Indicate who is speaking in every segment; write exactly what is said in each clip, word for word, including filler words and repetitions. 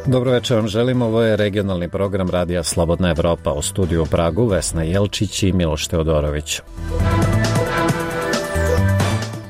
Speaker 1: Dobro večer vam želim, ovo je regionalni program Radija Slobodna Evropa. U studiju u Pragu Vesna Jelčić i Miloš Teodorović.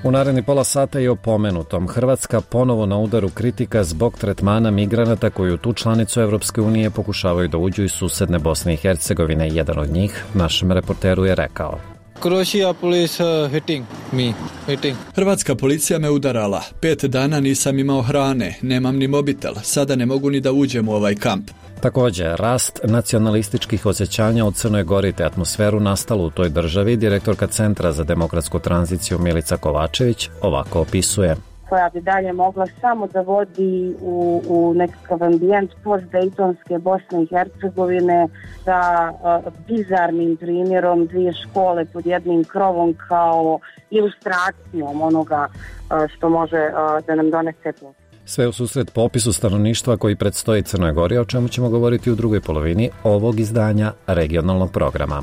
Speaker 1: U naredni pola sata je o pomenutom. Hrvatska ponovo na udaru kritika zbog tretmana migranata koji u tu članicu Evropske unije pokušavaju da uđu iz susedne Bosne i Hercegovine. Jedan od njih našem reporteru je rekao:
Speaker 2: Croatia police uh, hitting me. Hitting.
Speaker 3: Hrvatska policija me udarala. Pet dana nisam imao hrane, nemam ni mobitel. Sada ne mogu ni da uđem u ovaj kamp.
Speaker 1: Također, rast nacionalističkih osjećanja u Crnoj Gori te atmosferu nastalu u toj državi, direktorka Centra za demokratsku tranziciju Milica Kovačević ovako opisuje.
Speaker 4: Koja bi dalje mogla samo da vodi u, u nekakav ambijent post-dejtonske Bosne i Hercegovine sa uh, bizarnim primjerom dvije škole pod jednim krovom kao ilustracijom onoga uh, što može uh, da nam donese plus.
Speaker 1: Sve u susret popisu stanovništva koji predstoji Crnoj Gori, o čemu ćemo govoriti u drugoj polovini ovog izdanja regionalnog programa.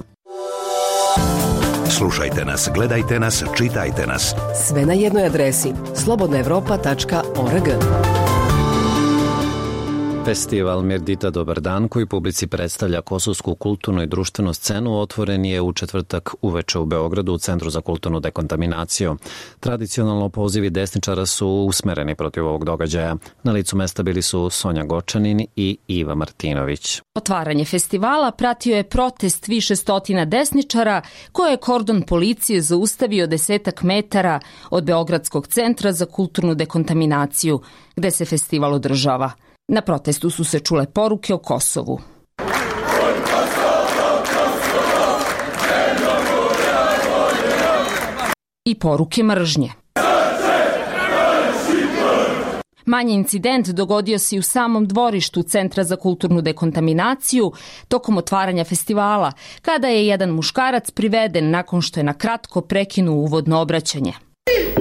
Speaker 5: Slušajte nas, gledajte nas, čitajte nas.
Speaker 6: Sve na jednoj adresi slobodna evropa tačka org.
Speaker 1: Festival Mirdita Dobar dan, koji publici predstavlja kosovsku kulturnu i društvenu scenu, otvoren je u četvrtak uveče u Beogradu u Centru za kulturnu dekontaminaciju. Tradicionalno pozivi desničara su usmereni protiv ovog događaja. Na licu mesta bili su Sonja Gočanin i Iva Martinović.
Speaker 7: Otvaranje festivala pratio je protest više stotina desničara koje je kordon policije zaustavio desetak metara od Beogradskog centra za kulturnu dekontaminaciju, gde se festival održava. Na protestu su se čule poruke o Kosovu. I poruke mržnje. Manji incident dogodio se i u samom dvorištu Centra za kulturnu dekontaminaciju tokom otvaranja festivala, kada je jedan muškarac priveden nakon što je na kratko prekinuo uvodno obraćanje.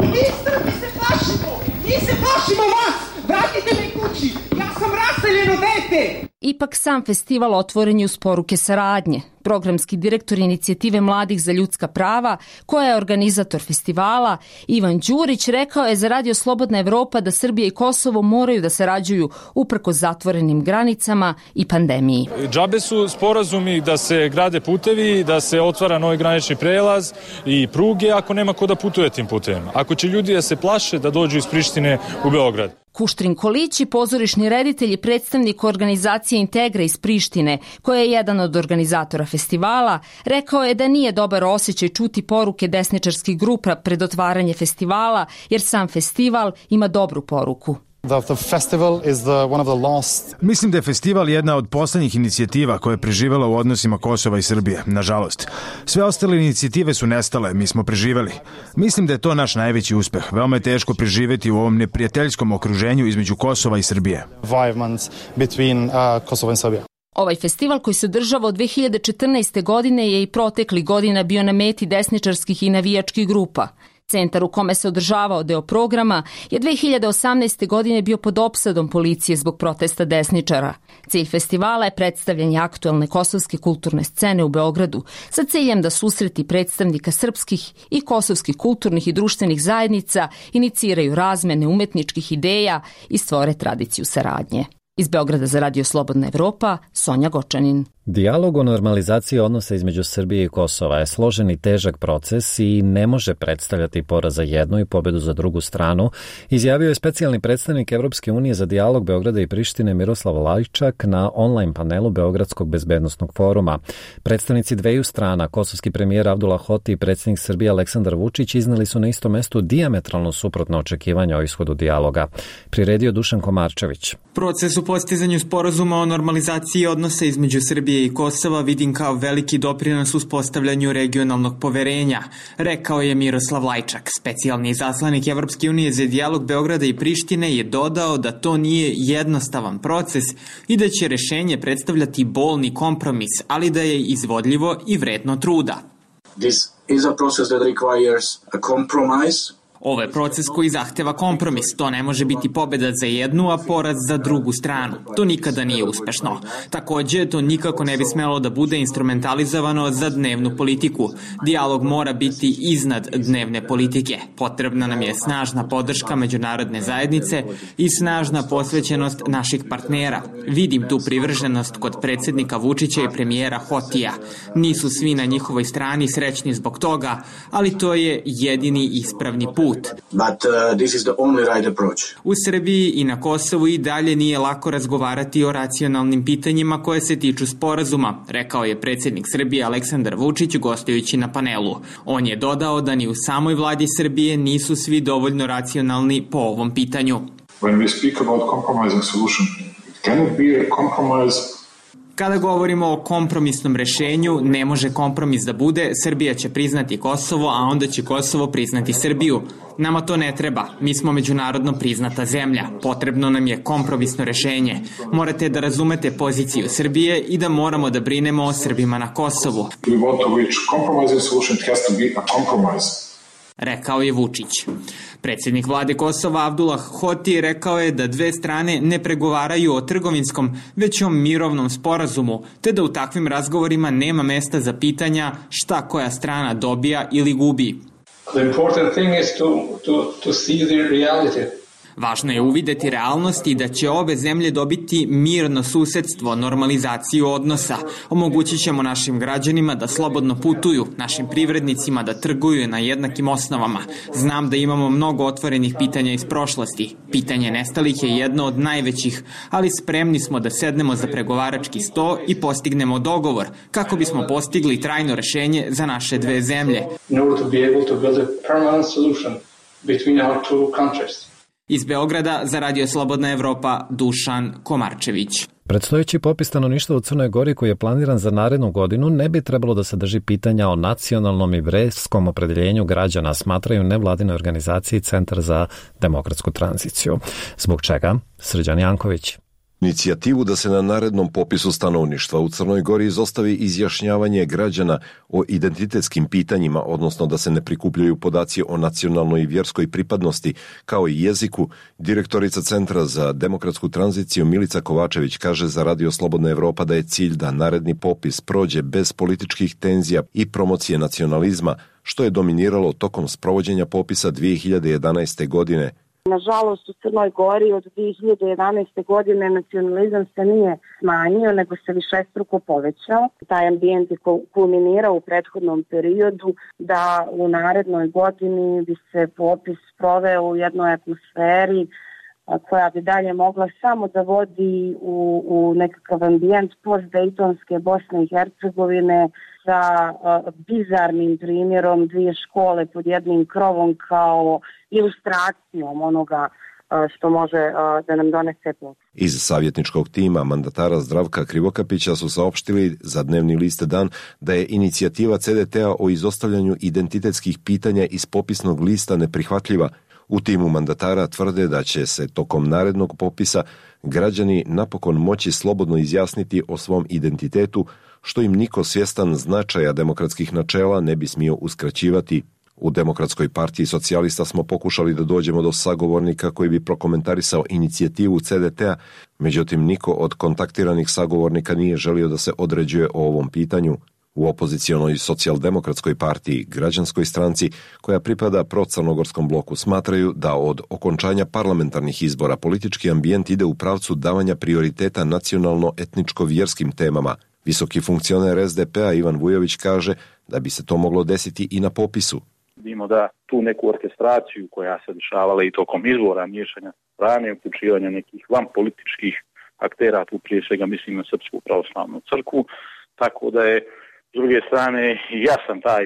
Speaker 8: Mi Srbi se plašimo! Mi se plašimo vas! Vratite me kući! Ja sam raseljeno dete!
Speaker 7: Ipak sam festival otvoren je uz poruke saradnje. Programski direktor inicijative Mladih za ljudska prava, koja je organizator festivala, Ivan Đurić, rekao je za Radio Slobodna Evropa da Srbija i Kosovo moraju da sarađuju uprkos zatvorenim granicama i pandemiji.
Speaker 9: Džabe su sporazumi da se grade putevi, da se otvara novi granični prelaz i pruge ako nema ko da putuje tim putevima. Ako će ljudi da se plaše da dođu iz Prištine u Beograd.
Speaker 7: Kuštrin Kolići, pozorišni reditelj i predstavnik organizacije Integra iz Prištine, koja je jedan od organizatora festivala, rekao je da nije dobar osjećaj čuti poruke desničarskih grupa pred otvaranje festivala, jer sam festival ima dobru poruku.
Speaker 10: The, the festival is the, one of the last...
Speaker 11: Mislim da je festival jedna od poslednjih inicijativa koja je preživela u odnosima Kosova i Srbije, nažalost. Sve ostale inicijative su nestale, mi smo preživeli. Mislim da je to naš najveći uspeh. Veoma je teško preživeti u ovom neprijateljskom okruženju između Kosova i Srbije.
Speaker 10: Between, uh, Kosovo and Serbia.
Speaker 7: Ovaj festival koji se održava od dve hiljade četrnaeste. godine je i protekli godina bio na meti desničarskih i navijačkih grupa. Centar u kome se održavao deo programa je dve hiljade osamnaeste. godine bio pod opsadom policije zbog protesta desničara. Cilj festivala je predstavljanje aktuelne kosovske kulturne scene u Beogradu sa ciljem da susreti predstavnika srpskih i kosovskih kulturnih i društvenih zajednica iniciraju razmene umetničkih ideja i stvore tradiciju saradnje. Iz Beograda za Radio Slobodna Evropa, Sonja Gočanin.
Speaker 1: Dijalog o normalizaciji odnosa između Srbije i Kosova je složen i težak proces i ne može predstavljati poraz za jednu i pobedu za drugu stranu, izjavio je specijalni predstavnik Evropske unije za dijalog Beograda i Prištine Miroslav Lajčak na online panelu Beogradskog bezbednosnog foruma. Predstavnici dveju strana, kosovski premijer Abdullah Hoti i predsjednik Srbije Aleksandar Vučić, izneli su na istom mestu dijametralno suprotno očekivanja o ishodu dijaloga. Priredio Dušan Komarčević.
Speaker 12: Proces u postizanju sporazuma o normalizaciji odnosa između Srbije i Kosova vidim kao veliki doprinos uspostavljanju regionalnog poverenja, rekao je Miroslav Lajčak. Specijalni izaslanik Evropske unije za dijalog Beograda i Prištine je dodao da to nije jednostavan proces i da će rešenje predstavljati bolni kompromis, ali da je izvodljivo i vredno truda.
Speaker 13: This is a process that requires a compromise
Speaker 12: Ovo je proces koji zahteva kompromis. To ne može biti pobeda za jednu, a poraz za drugu stranu. To nikada nije uspešno. Takođe, to nikako ne bi smelo da bude instrumentalizovano za dnevnu politiku. Dijalog mora biti iznad dnevne politike. Potrebna nam je snažna podrška međunarodne zajednice i snažna posvećenost naših partnera. Vidim tu privrženost kod predsjednika Vučića i premijera Hotija. Nisu svi na njihovoj strani srećni zbog toga, ali to je jedini ispravni put.
Speaker 13: But, uh, this is the only right approach.
Speaker 12: U Srbiji i na Kosovu i dalje nije lako razgovarati o racionalnim pitanjima koje se tiču sporazuma, rekao je predsjednik Srbije Aleksandar Vučić gostujući na panelu. On je dodao da ni u samoj vladi Srbije nisu svi dovoljno racionalni po ovom pitanju.
Speaker 14: When we speak about compromising solution, it cannot be a compromise.
Speaker 12: Kada govorimo o kompromisnom rešenju, ne može kompromis da bude Srbija će priznati Kosovo, a onda će Kosovo priznati Srbiju. Nama to ne treba. Mi smo međunarodno priznata zemlja. Potrebno nam je kompromisno rešenje. Morate da razumete poziciju Srbije i da moramo da brinemo o Srbima na Kosovu.
Speaker 14: We want to reach compromising solution, it has to be a compromise.
Speaker 12: Rekao je Vučić. Predsjednik vlade Kosova Abdullah Hoti rekao je da dve strane ne pregovaraju o trgovinskom, već o mirovnom sporazumu, te da u takvim razgovorima nema mesta za pitanja šta koja strana dobija ili gubi.
Speaker 15: The important thing is to, to, to see the reality.
Speaker 12: Važno je uvideti realnost i da će obe zemlje dobiti mirno susedstvo, normalizaciju odnosa. Omogućit ćemo našim građanima da slobodno putuju, našim privrednicima da trguju na jednakim osnovama. Znam da imamo mnogo otvorenih pitanja iz prošlosti. Pitanje nestalih je jedno od najvećih, ali spremni smo da sednemo za pregovarački sto i postignemo dogovor, kako bismo postigli trajno rešenje za naše dve zemlje.
Speaker 15: In order to be able to build a permanent solution between our two countries.
Speaker 12: Iz Beograda za Radio Slobodna Evropa Dušan Komarčević.
Speaker 1: Predstojeći popis stanovništva u Crnoj Gori koji je planiran za narednu godinu ne bi trebalo da sadrži pitanja o nacionalnom i verskom opredeljenju građana, smatraju nevladine organizacije i Centar za demokratsku tranziciju. Zbog čega? Srđan Janković.
Speaker 16: Inicijativu da se na narednom popisu stanovništva u Crnoj Gori izostavi izjašnjavanje građana o identitetskim pitanjima, odnosno da se ne prikupljaju podaci o nacionalnoj i vjerskoj pripadnosti, kao i jeziku, direktorica Centra za demokratsku tranziciju Milica Kovačević kaže za Radio Slobodna Evropa da je cilj da naredni popis prođe bez političkih tenzija i promocije nacionalizma, što je dominiralo tokom sprovođenja popisa dvije hiljade jedanaeste. godine.
Speaker 4: Nažalost, u Crnoj Gori od dvije hiljade jedanaeste. godine nacionalizam se nije smanjio, nego se višestruko povećao. Taj ambijent je kulminirao u prethodnom periodu da u narednoj godini bi se popis proveo u jednoj atmosferi koja bi dalje mogla samo da vodi u, u nekakav ambijent post-Dejtonske Bosne i Hercegovine sa uh, bizarnim primjerom dvije škole pod jednim krovom kao ilustracijom onoga uh, što može uh, da nam donese popis.
Speaker 16: Iz savjetničkog tima mandatara Zdravka Krivokapića su saopštili za dnevni list Dan da je inicijativa C D T-a o izostavljanju identitetskih pitanja iz popisnog lista neprihvatljiva. U timu mandatara tvrde da će se tokom narednog popisa građani napokon moći slobodno izjasniti o svom identitetu, što im niko svjestan značaja demokratskih načela ne bi smio uskraćivati. U Demokratskoj partiji socijalista smo pokušali da dođemo do sagovornika koji bi prokomentarisao inicijativu C D T-a, međutim niko od kontaktiranih sagovornika nije želio da se određuje o ovom pitanju. U opozicionoj socijaldemokratskoj partiji, građanskoj stranci, koja pripada procrnogorskom bloku, smatraju da od okončanja parlamentarnih izbora politički ambijent ide u pravcu davanja prioriteta nacionalno-etničko-vjerskim temama. Visoki funkcioner S D P-a Ivan Vujović kaže da bi se to moglo desiti i na popisu.
Speaker 17: Vidimo da tu neku orkestraciju koja se dešavala i tokom izbora, miješanja strane, uključivanja nekih van političkih aktera, tu prije svega mislim na Srpsku pravoslavnu crkvu, tako da je s druge strane jasan taj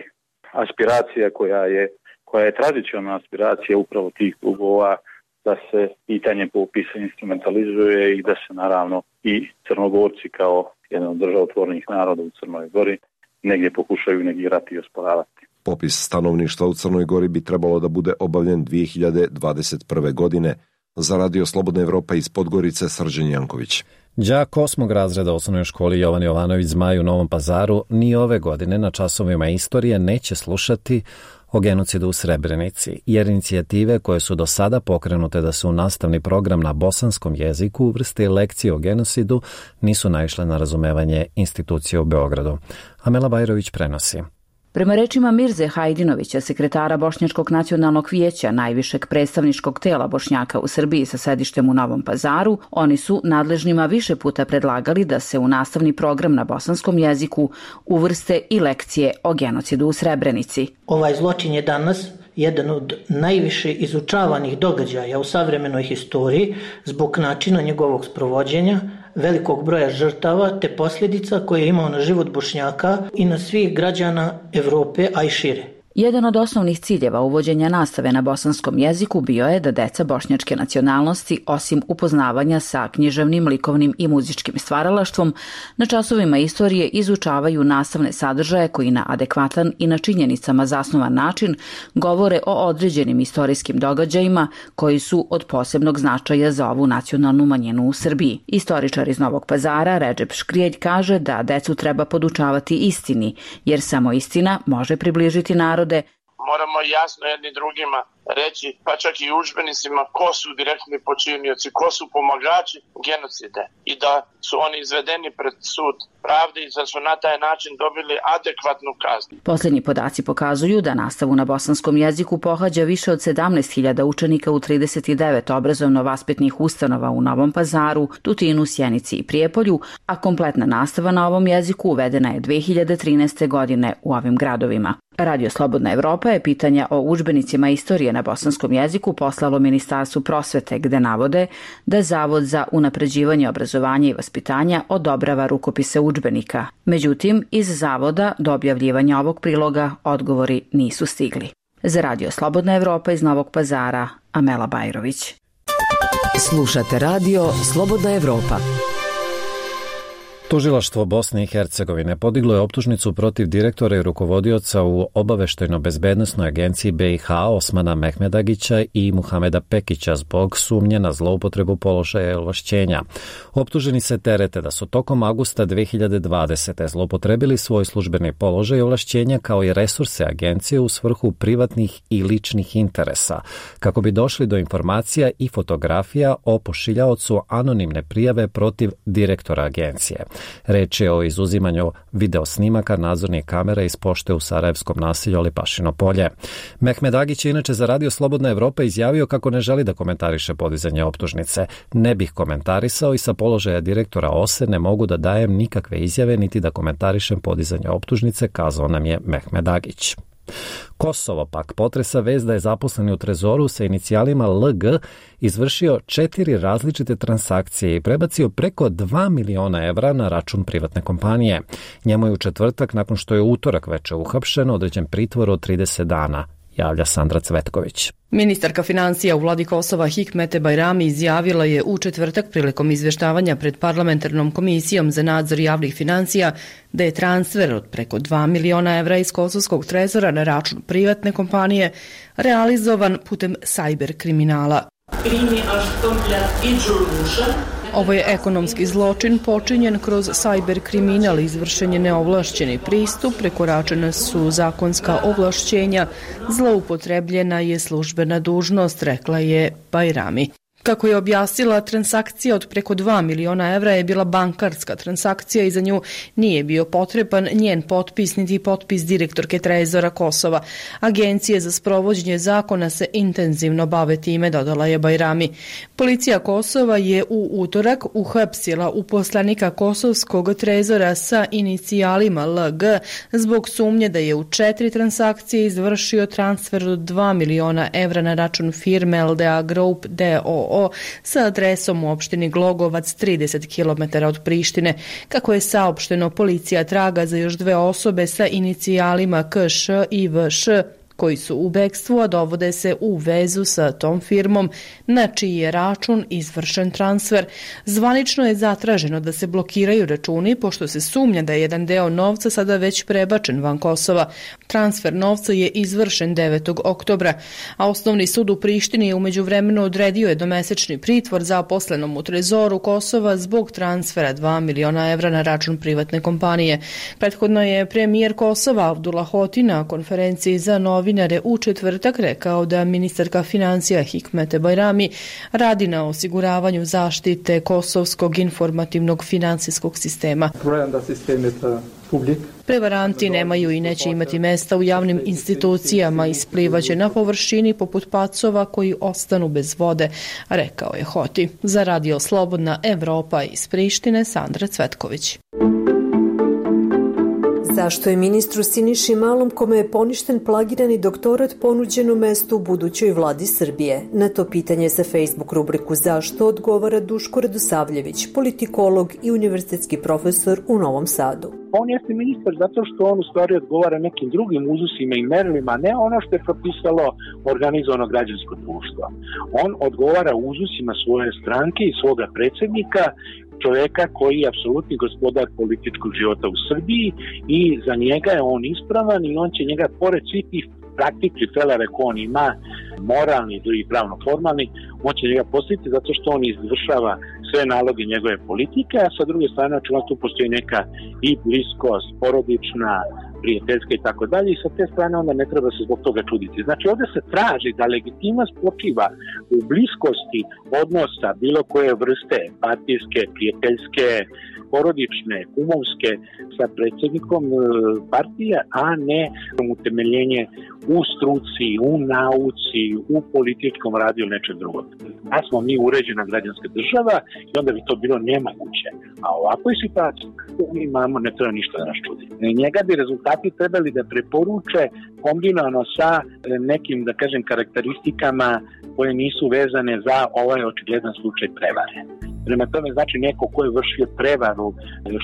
Speaker 17: aspiracija koja je, koja je tradicionalna aspiracija upravo tih klubova da se pitanje popisa instrumentalizuje i da se naravno i Crnogorci kao jedan od državotvornih naroda u Crnoj Gori negdje pokušaju negirati i osporavati.
Speaker 16: Popis stanovništva u Crnoj Gori bi trebalo da bude obavljen dvije hiljade dvadeset prve. godine. Za Radio Slobodna Evropa iz Podgorice Srđan Janković.
Speaker 1: Đak osmog razreda osnovnoj školi Jovan Jovanović Zmaj u Novom Pazaru ni ove godine na časovima istorije neće slušati o genocidu u Srebrenici, jer inicijative koje su do sada pokrenute da se u nastavni program na bosanskom jeziku uvrste lekcije o genocidu nisu naišle na razumevanje institucije u Beogradu. Amela Bajrović prenosi.
Speaker 18: Prema rečima Mirze Hajdinovića, sekretara Bošnjačkog nacionalnog vijeća, najvišeg predstavničkog tela Bošnjaka u Srbiji sa sedištem u Novom Pazaru, oni su nadležnima više puta predlagali da se u nastavni program na bosanskom jeziku uvrste i lekcije o genocidu u Srebrenici.
Speaker 19: Ovaj zločin je danas jedan od najviše izučavanih događaja u savremenoj historiji zbog načina njegovog sprovođenja, velikog broja žrtava te posljedica koje je imao na život Bošnjaka i na svih građana Evrope, a i šire.
Speaker 18: Jedan od osnovnih ciljeva uvođenja nastave na bosanskom jeziku bio je da deca bošnjačke nacionalnosti, osim upoznavanja sa književnim, likovnim i muzičkim stvaralaštvom, na časovima istorije izučavaju nastavne sadržaje koji na adekvatan i na činjenicama zasnovan način govore o određenim istorijskim događajima koji su od posebnog značaja za ovu nacionalnu manjinu u Srbiji. Istoričar iz Novog Pazara, Redžep Škrijelj, kaže da decu treba podučavati istini, jer samo istina može približiti narod.
Speaker 20: Moramo jasno jedni drugima reći, pa čak i udžbenicima, ko su direktni počinioci, ko su pomagači genocide i da su oni izvedeni pred sud pravde i da su na taj način dobili adekvatnu kaznu.
Speaker 18: Posljednji podaci pokazuju da nastavu na bosanskom jeziku pohađa više od sedamnaest hiljada učenika u trideset devet obrazovno-vaspitnih ustanova u Novom Pazaru, Tutinu, Sjenici i Prijepolju, a kompletna nastava na ovom jeziku uvedena je dve hiljade trinaeste. godine u ovim gradovima. Radio Slobodna Evropa je pitanja o udžbenicima istorije na bosanskom jeziku poslalo Ministarstvu prosvete, gde navode da Zavod za unapređivanje obrazovanja i vaspitanja odobrava rukopise udžbenika. Međutim, iz Zavoda do objavljivanja ovog priloga odgovori nisu stigli. Za Radio Slobodna Evropa iz Novog Pazara, Amela Bajrović.
Speaker 6: Slušate Radio Slobodna Evropa.
Speaker 1: Tužilaštvo Bosne i Hercegovine podiglo je optužnicu protiv direktora i rukovodioca u obaveštajno-bezbednosnoj agenciji B i H Osmana Mehmedagića i Muhameda Pekića zbog sumnje na zloupotrebu položaja i ovlašćenja. Optuženi se terete da su tokom avgusta dve hiljade dvadesete. zloupotrebili svoj službeni položaj i ovlašćenja kao i resurse agencije u svrhu privatnih i ličnih interesa, kako bi došli do informacija i fotografija o pošiljaocu anonimne prijave protiv direktora agencije. Reč je o izuzimanju videosnimaka nadzornih kamera iz pošte u sarajevskom naselju Lipašino polje. Mehmed Agić je inače za Radio Slobodna Evropa izjavio kako ne želi da komentariše podizanje optužnice. Ne bih komentarisao i sa položaja direktora O S E ne mogu da dajem nikakve izjave niti da komentarišem podizanje optužnice, kazao nam je Mehmed Agić. Kosovo pak potresa vest da je zaposleni u Trezoru sa inicijalima L G izvršio četiri različite transakcije i prebacio preko dva miliona evra na račun privatne kompanije. Njemu je u četvrtak, nakon što je utorak veče uhapšen, određen pritvor od trideset dana, javlja Sandra Cvetković.
Speaker 21: Ministarka financija u vladi Kosova Hikmete Bajrami izjavila je u četvrtak prilikom izveštavanja pred parlamentarnom komisijom za nadzor javnih financija da je transfer od preko dva miliona evra iz kosovskog trezora na račun privatne kompanije realizovan putem sajber kriminala. Ovo je ekonomski zločin počinjen kroz sajber kriminal, izvršen je neovlašćeni pristup, prekoračena su zakonska ovlašćenja, zloupotrebljena je službena dužnost, rekla je Bajrami. Kako je objasnila, transakcija od preko dva miliona evra je bila bankarska transakcija i za nju nije bio potreban njen potpis niti potpis direktorke Trezora Kosova. Agencije za sprovođenje zakona se intenzivno bave time, dodala je Bajrami. Policija Kosova je u utorak uhapsila uposlenika kosovskog Trezora sa inicijalima L G zbog sumnje da je u četiri transakcije izvršio transfer od dva miliona evra na račun firme L D A Group D O O sa adresom u opštini Glogovac, trideset kilometara od Prištine. Kako je saopšteno, policija traga za još dve osobe sa inicijalima K Š i V Š koji su u bekstvu, a dovode se u vezu sa tom firmom na čiji je račun izvršen transfer. Zvanično je zatraženo da se blokiraju računi pošto se sumnja da je jedan deo novca sada već prebačen van Kosova. Transfer novca je izvršen devetog oktobra, a Osnovni sud u Prištini je umeđu vremenu odredio jednomesečni pritvor zaposlenom u Trezoru Kosova zbog transfera dva miliona evra na račun privatne kompanije. Prethodno je premijer Kosova Abdullah Hoti na konferenciji za novine novinare u četvrtak rekao da ministarka financija Hikmete Bajrami radi na osiguravanju zaštite kosovskog informativnog finansijskog sistema. Prevaranti nemaju i neće imati mesta u javnim institucijama, isplivaće na površini poput pacova koji ostanu bez vode, rekao je Hoti. Za Radio Slobodna Evropa iz Prištine, Sandra Cvetković.
Speaker 2: Zašto je ministru Siniši Malom, kome je poništen plagirani doktorat, ponuđeno mesto u budućoj vladi Srbije? Na to pitanje za Facebook rubriku Zašto odgovara Duško Radosavljević, politikolog i univerzitetski profesor u Novom Sadu.
Speaker 22: On jeste ministar zato što on u stvari odgovara nekim drugim uzusima i merilima, ne ono što je propisalo organizovano građansko društvo. On odgovara uzusima svoje stranke i svoga predsjednika, čovjeka koji je apsolutni gospodar političkog života u Srbiji i za njega je on ispravan i on će njega, pored svih tih praktičnih felere koje on ima, moralni i pravno formalni, on će njega postaviti zato što on izvršava sve naloge njegove politike, a sa druge strane očigledno tu postoji neka i bliskost, porodična, prijateljska i tako dalje, i sa te strane onda ne treba se zbog toga čuditi. Znači ovdje se traži da legitimnost počiva u bliskosti odnosa bilo koje vrste, partijske, prijateljske, porodične, kumovske, sa predsjednikom partije, a ne utemeljenje u struci, u nauci, u političkom radu ili nečeg drugog. Da smo mi uređena građanska država i onda bi to bilo nemoguće. A ovakvoj situaciji mi imamo, ne treba ništa da nas čudi. Njega bi rezultati trebali da preporuče kombinovano sa nekim, da kažem, karakteristikama koje nisu vezane za ovaj očigledan slučaj prevare. Prema tome, znači neko ko je vršio prevaru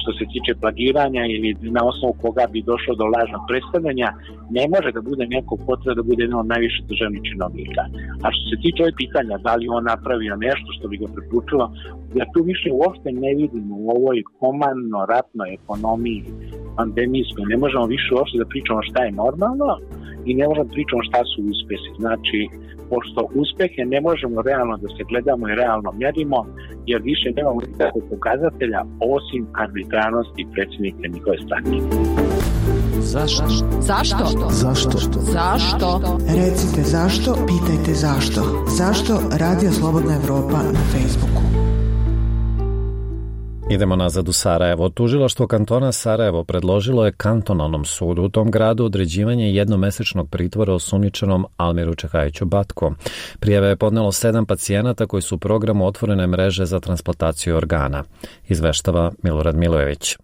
Speaker 22: što se tiče plagiranja ili na osnovu koga bi došlo do lažnog predstavljanja, ne može da bude neko ko treba da bude jedan od najviše državnih činovnika. A što se tiče ovih pitanja, da li on napravio nešto što bi ga preporučilo, ja tu više uopšte ne vidim u ovoj komandno-ratnoj ekonomiji pandemijskoj, ne možemo više uopšte da pričamo šta je normalno i ne možemo da pričamo šta su uspjesi. Znači, pošto uspehe ne možemo realno da se gledamo i realno mjerimo, jer više nemamo nikakvog pokazatelja osim arbitrarnosti predsjednika njihove stranke.
Speaker 6: Zašto? Zašto?
Speaker 23: Zašto?
Speaker 6: Zašto?
Speaker 23: Recite zašto, pitajte zašto. Zašto? Radio Slobodna Evropa na Facebooku.
Speaker 1: Idemo nazad u Sarajevo. Tužilaštvo kantona Sarajevo predložilo je kantonalnom sudu u tom gradu određivanje jednomesečnog pritvora osumnjičenom Almiru Čehajiću Batko. Prijave je podnelo sedam pacijenata koji su u programu otvorene mreže za transplantaciju organa. Izveštava Milorad Milojević.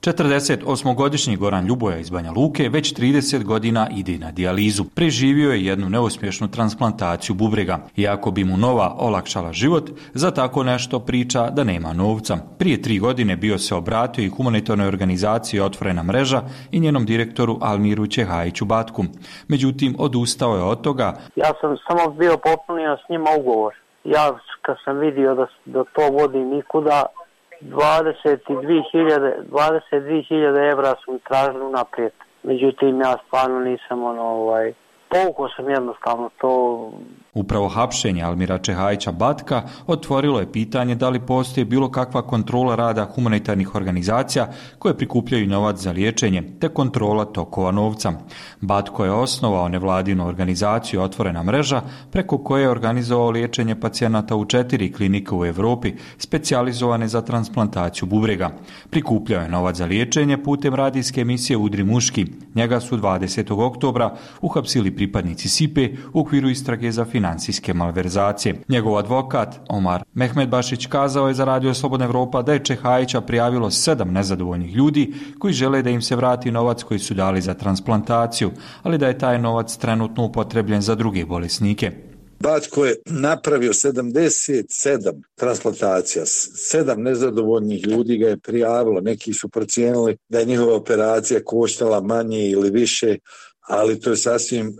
Speaker 24: četrdesetosmogodišnji Goran Ljuboja iz Banja Luke već trideset godina ide na dijalizu. Preživio je jednu neuspješnu transplantaciju bubrega. Iako bi mu nova olakšala život, za tako nešto priča da nema novca. Prije tri godine bio se obratio i humanitarnoj organizaciji Otvorena mreža i njenom direktoru Almiru Čehajiću Batku. Međutim, odustao je od toga.
Speaker 25: Ja sam samo bio popunio s njima ugovor. Ja kad sam vidio da, da to vodi nikuda, dvadeset dvije hiljade evra su mi tražili unaprijed. Međutim, ja stvarno nisam ono, ovaj, povukao sam jednostavno to.
Speaker 24: Upravo hapšenje Almira Čehajića Batka otvorilo je pitanje da li postoji bilo kakva kontrola rada humanitarnih organizacija koje prikupljaju novac za liječenje, te kontrola tokova novca. Batko je osnovao nevladinu organizaciju Otvorena mreža, preko koje je organizovao liječenje pacijenata u četiri klinike u Europi, specijalizovane za transplantaciju bubrega. Prikupljao je novac za liječenje putem radijske emisije Udri muški. Njega su dvadesetog oktobra uhapsili pripadnici S I P E u okviru istrage za financijske malverzacije. Njegov advokat Omar Mehmedbašić kazao je za Radio Slobodna Evropa da je Čehajića prijavilo sedam nezadovoljnih ljudi koji žele da im se vrati novac koji su dali za transplantaciju, ali da je taj novac trenutno upotrebljen za druge bolesnike.
Speaker 26: Batko je napravio sedamdeset sedam transplantacija, sedam nezadovoljnih ljudi ga je prijavilo, neki su procijenili da je njihova operacija koštala manje ili više, ali to je sasvim uh,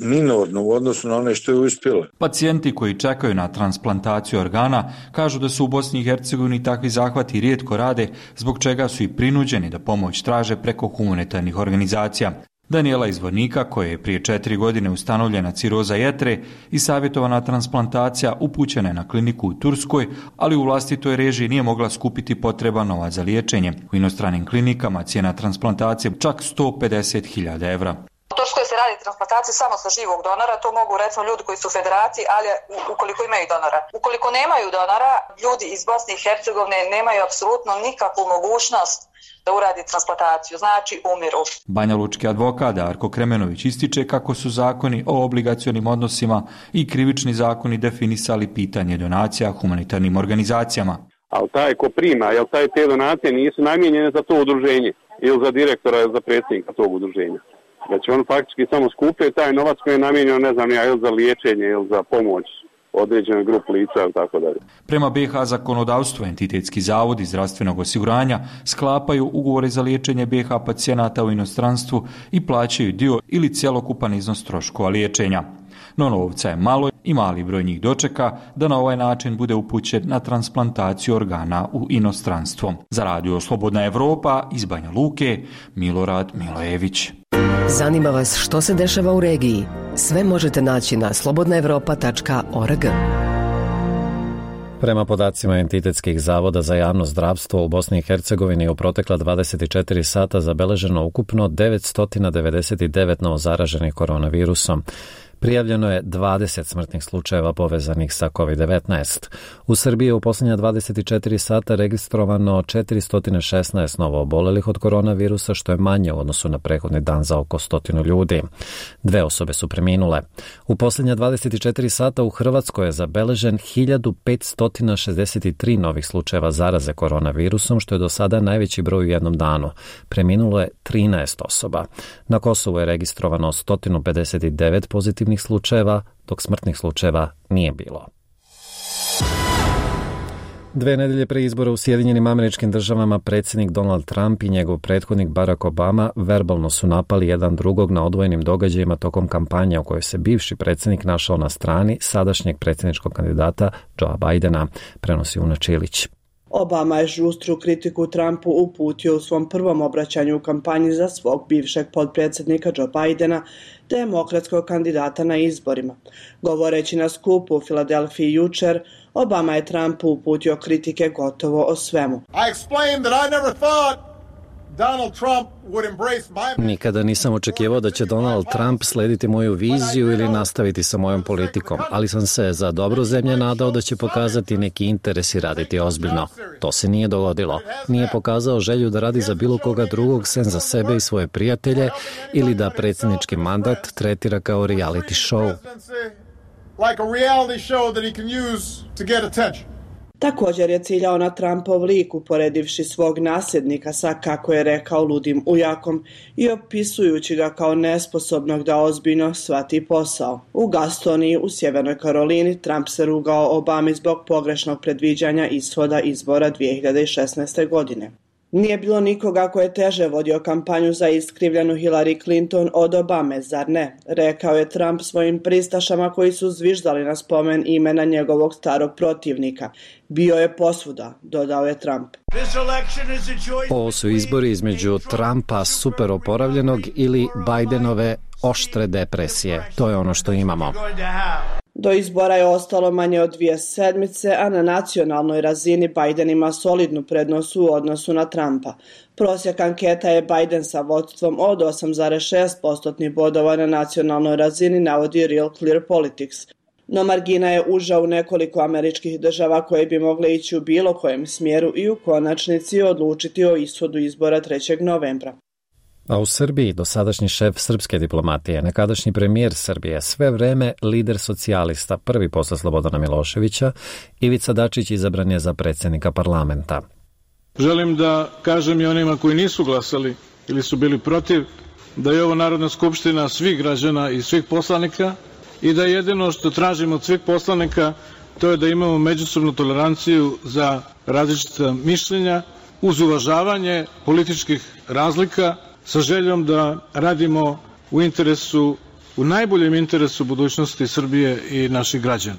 Speaker 26: minorno u odnosu na one što je uspjelo.
Speaker 24: Pacijenti koji čekaju na transplantaciju organa kažu da su u Bosni i Hercegovini takvi zahvati rijetko rade, zbog čega su i prinuđeni da pomoć traže preko humanitarnih organizacija. Daniela iz Vornika, koja je prije četiri godine ustanovljena ciroza jetre i savjetovana transplantacija, upućena je na kliniku u Turskoj, ali u vlastitoj režiji nije mogla skupiti potreban novac za liječenje. U inostranim klinikama cijena transplantacije čak sto pedeset hiljada evra.
Speaker 27: To
Speaker 3: Turskoj se radi transplantacija samo sa živog donora, to mogu recimo ljudi koji su u federaciji, ali ukoliko imaju donora. Ukoliko nemaju donora, ljudi iz Bosne i Hercegovine nemaju apsolutno nikakvu mogućnost da uradi transplantaciju, znači umiru.
Speaker 24: Banja Lučki advokat Darko Kremenović ističe kako su zakoni o obligacionim odnosima i krivični zakoni definisali pitanje donacija humanitarnim organizacijama.
Speaker 5: Ali taj ko prima, jel taj te donacije nisu namijenjene za to udruženje ili za direktora ili za predsjednika tog udruženja. Znači on faktički samo skupuje taj novac koji je namijenjen, ne znam ja, ili za liječenje ili za pomoć određene grupe lica ili tako dalje.
Speaker 24: Prema B H zakonodavstvu, entitetski zavodi zdravstvenog osiguranja sklapaju ugovore za liječenje B H pacijenata u inostranstvu i plaćaju dio ili cjelokupan iznos troškova liječenja. No novca je malo i mali broj njih dočeka da na ovaj način bude upućen na transplantaciju organa u inostranstvo. Za radio Slobodna Evropa iz Banja Luke, Milorad Milojević.
Speaker 6: Zanima vas što se dešava u regiji? Sve možete naći na slobodna evropa tačka org.
Speaker 1: Prema podacima entitetskih zavoda za javno zdravstvo u Bosni i Hercegovini u protekla dvadeset četiri sata zabeleženo ukupno devetsto devedeset devet novozaraženih koronavirusom. Prijavljeno je dvadeset smrtnih slučajeva povezanih sa kovid devetnaest. U Srbiji je u posljednja dvadeset četiri sata registrovano četiristo šesnaest novoobolelih od koronavirusa, što je manje u odnosu na prethodni dan za oko stotinu ljudi. Dve osobe su preminule. U posljednja dvadeset četiri sata u Hrvatskoj je zabeležen hiljadu petsto šezdeset tri novih slučajeva zaraze koronavirusom, što je do sada najveći broj u jednom danu. Preminulo je trinaest osoba. Na Kosovu je registrovano sto pedeset devet pozitivnih slučajeva, dok smrtnih slučajeva nije bilo. Dve nedelje pre izbora u Sjedinjenim Američkim Državama predsjednik Donald Trump i njegov prethodnik Barack Obama verbalno su napali jedan drugog na odvojenim događajima tokom kampanje u kojoj se bivši predsjednik našao na strani sadašnjeg predsjedničkog kandidata Joea Bidena, prenosi Una Čilić.
Speaker 8: Obama je žustru kritiku Trumpu uputio u svom prvom obraćanju u kampanji za svog bivšeg potpredsjednika Joe Bidena, demokratskog kandidata na izborima. Govoreći na skupu u Filadelfiji jučer, Obama je Trumpu uputio kritike gotovo o svemu.
Speaker 9: I explained that I never thought Donald Trump would embrace my...
Speaker 1: Nikada nisam očekivao da će Donald Trump slediti moju viziju ili nastaviti sa mojom politikom, ali sam se za dobro zemlje nadao da će pokazati neki interes i raditi ozbiljno. To se nije dogodilo. Nije pokazao želju da radi za bilo koga drugog sem za sebe i svoje prijatelje ili da predsjednički mandat tretira kao reality show.
Speaker 9: Like a reality show that he can use to get attention.
Speaker 8: Također je ciljao na Trumpov lik, uporedivši svog nasljednika sa, kako je rekao, ludim ujakom i opisujući ga kao nesposobnog da ozbiljno shvati posao. U Gastoniji u Sjevernoj Karolini Trump se rugao Obami zbog pogrešnog predviđanja ishoda izbora dvije hiljade šesnaeste. godine. Nije bilo nikoga ko je teže vodio kampanju za iskrivljenu Hillary Clinton od Obame, zar ne? Rekao je Trump svojim pristašama koji su zviždali na spomen imena njegovog starog protivnika. Bio je posvuda, dodao je Trump.
Speaker 1: Ovo su izbori između Trumpa super oporavljenog ili Bidenove oštre depresije. To je ono što imamo.
Speaker 8: Do izbora je ostalo manje od dvije sedmice, a na nacionalnoj razini Biden ima solidnu prednost u odnosu na Trumpa. Prosjek anketa je Biden sa vodstvom od osam zarez šest postotnih bodova na nacionalnoj razini, navodi Real Clear Politics. No margina je uža u nekoliko američkih država koje bi mogle ići u bilo kojem smjeru i u konačnici odlučiti o ishodu izbora trećeg novembra.
Speaker 1: A u Srbiji dosadašnji šef srpske diplomatije, nekadašnji premijer Srbije, sve vreme lider socijalista, prvi posle Slobodana Miloševića, Ivica Dačić izabran je za predsjednika parlamenta.
Speaker 10: Želim da kažem i onima koji nisu glasali ili su bili protiv, da je ovo Narodna skupština svih građana i svih poslanika i da jedino što tražimo od svih poslanika to je da imamo međusobnu toleranciju za različita mišljenja uz uvažavanje političkih razlika, sa željom da radimo u interesu, u najboljem interesu budućnosti Srbije i naših građana.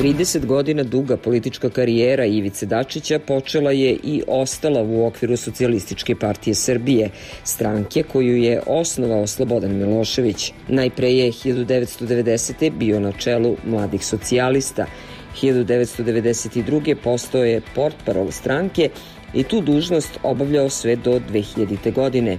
Speaker 11: trideset godina duga politička karijera Ivice Dačića počela je i ostala u okviru Socijalističke partije Srbije, stranke koju je osnovao Slobodan Milošević. Najpre je hiljadu devetsto devedesete. bio na čelu Mladih socijalista. hiljadu devetsto devedeset druge. postao je portparol stranke, i tu dužnost obavljao sve do dve hiljadite. godine.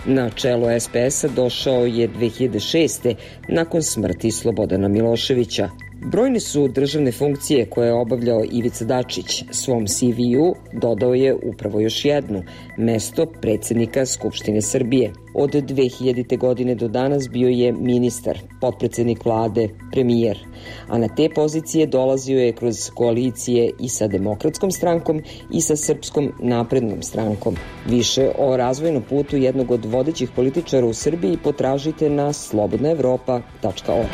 Speaker 11: Na čelo es pe es-a došao je dve hiljade šeste. nakon smrti Slobodana Miloševića. Brojne su državne funkcije koje je obavljao Ivica Dačić. Svom ce ve u dodao je upravo još jednu, mesto predsjednika Skupštine Srbije. Od dve hiljadite. godine do danas bio je ministar, potpredsednik vlade, premijer. A na te pozicije dolazio je kroz koalicije i sa Demokratskom strankom i sa Srpskom naprednom strankom. Više o razvojnom putu jednog od vodećih političara u Srbiji potražite na slobodna evropa tačka org.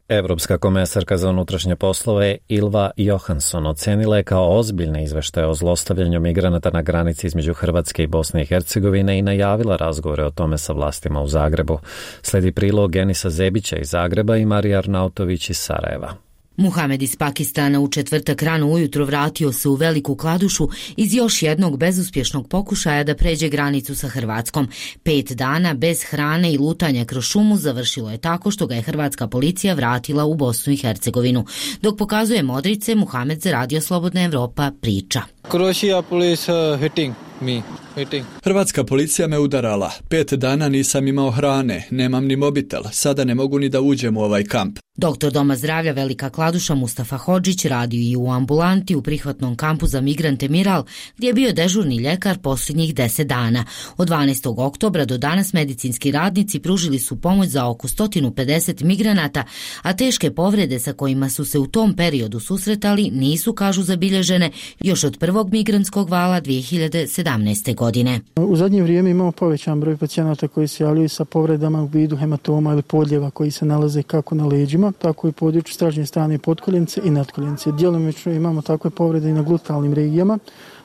Speaker 1: Evropska komesarka za unutrašnje poslove Ylva Johansson ocenila je kao ozbiljne izveštaje o zlostavljanju migranata na granici između Hrvatske i Bosne i Hercegovine i najavila razgovore o tome sa vlastima u Zagrebu. Sledi prilog Enisa Zebića iz Zagreba i Marija Arnautović iz Sarajeva.
Speaker 4: Muhamed iz Pakistana u četvrtak rano ujutro vratio se u Veliku Kladušu iz još jednog bezuspješnog pokušaja da pređe granicu sa Hrvatskom. Pet dana bez hrane i lutanja kroz šumu završilo je tako što ga je hrvatska policija vratila u Bosnu i Hercegovinu. Dok pokazuje modrice, Muhamed za Radio Slobodna Evropa priča.
Speaker 7: Croatia police uh, hitting me. Hitting.
Speaker 12: Hrvatska policija me udarala. Pet dana nisam imao hrane, nemam ni mobitel, sada ne mogu ni da uđem u ovaj kamp.
Speaker 4: Doktor Doma zdravlja Velika Kladuša Mustafa Hodžić radio i u ambulanti u prihvatnom kampu za migrante Miral, gdje je bio dežurni ljekar posljednjih deset dana. Od dvanaestog oktobra do danas medicinski radnici pružili su pomoć za oko sto pedeset migranata, a teške povrede sa kojima su se u tom periodu susretali nisu, kažu, zabilježene još od prvog migrantskog vala dve hiljade sedamnaeste. godine.
Speaker 13: U zadnje vrijeme imamo povećan broj pacijenata koji se javljaju sa povredama u vidu hematoma ili podljeva koji se nalaze kako na leđima, tako i području stražnje strane potkoljenice i natkoljenice. Djelomično imamo takve povrede i na glutalnim regijama,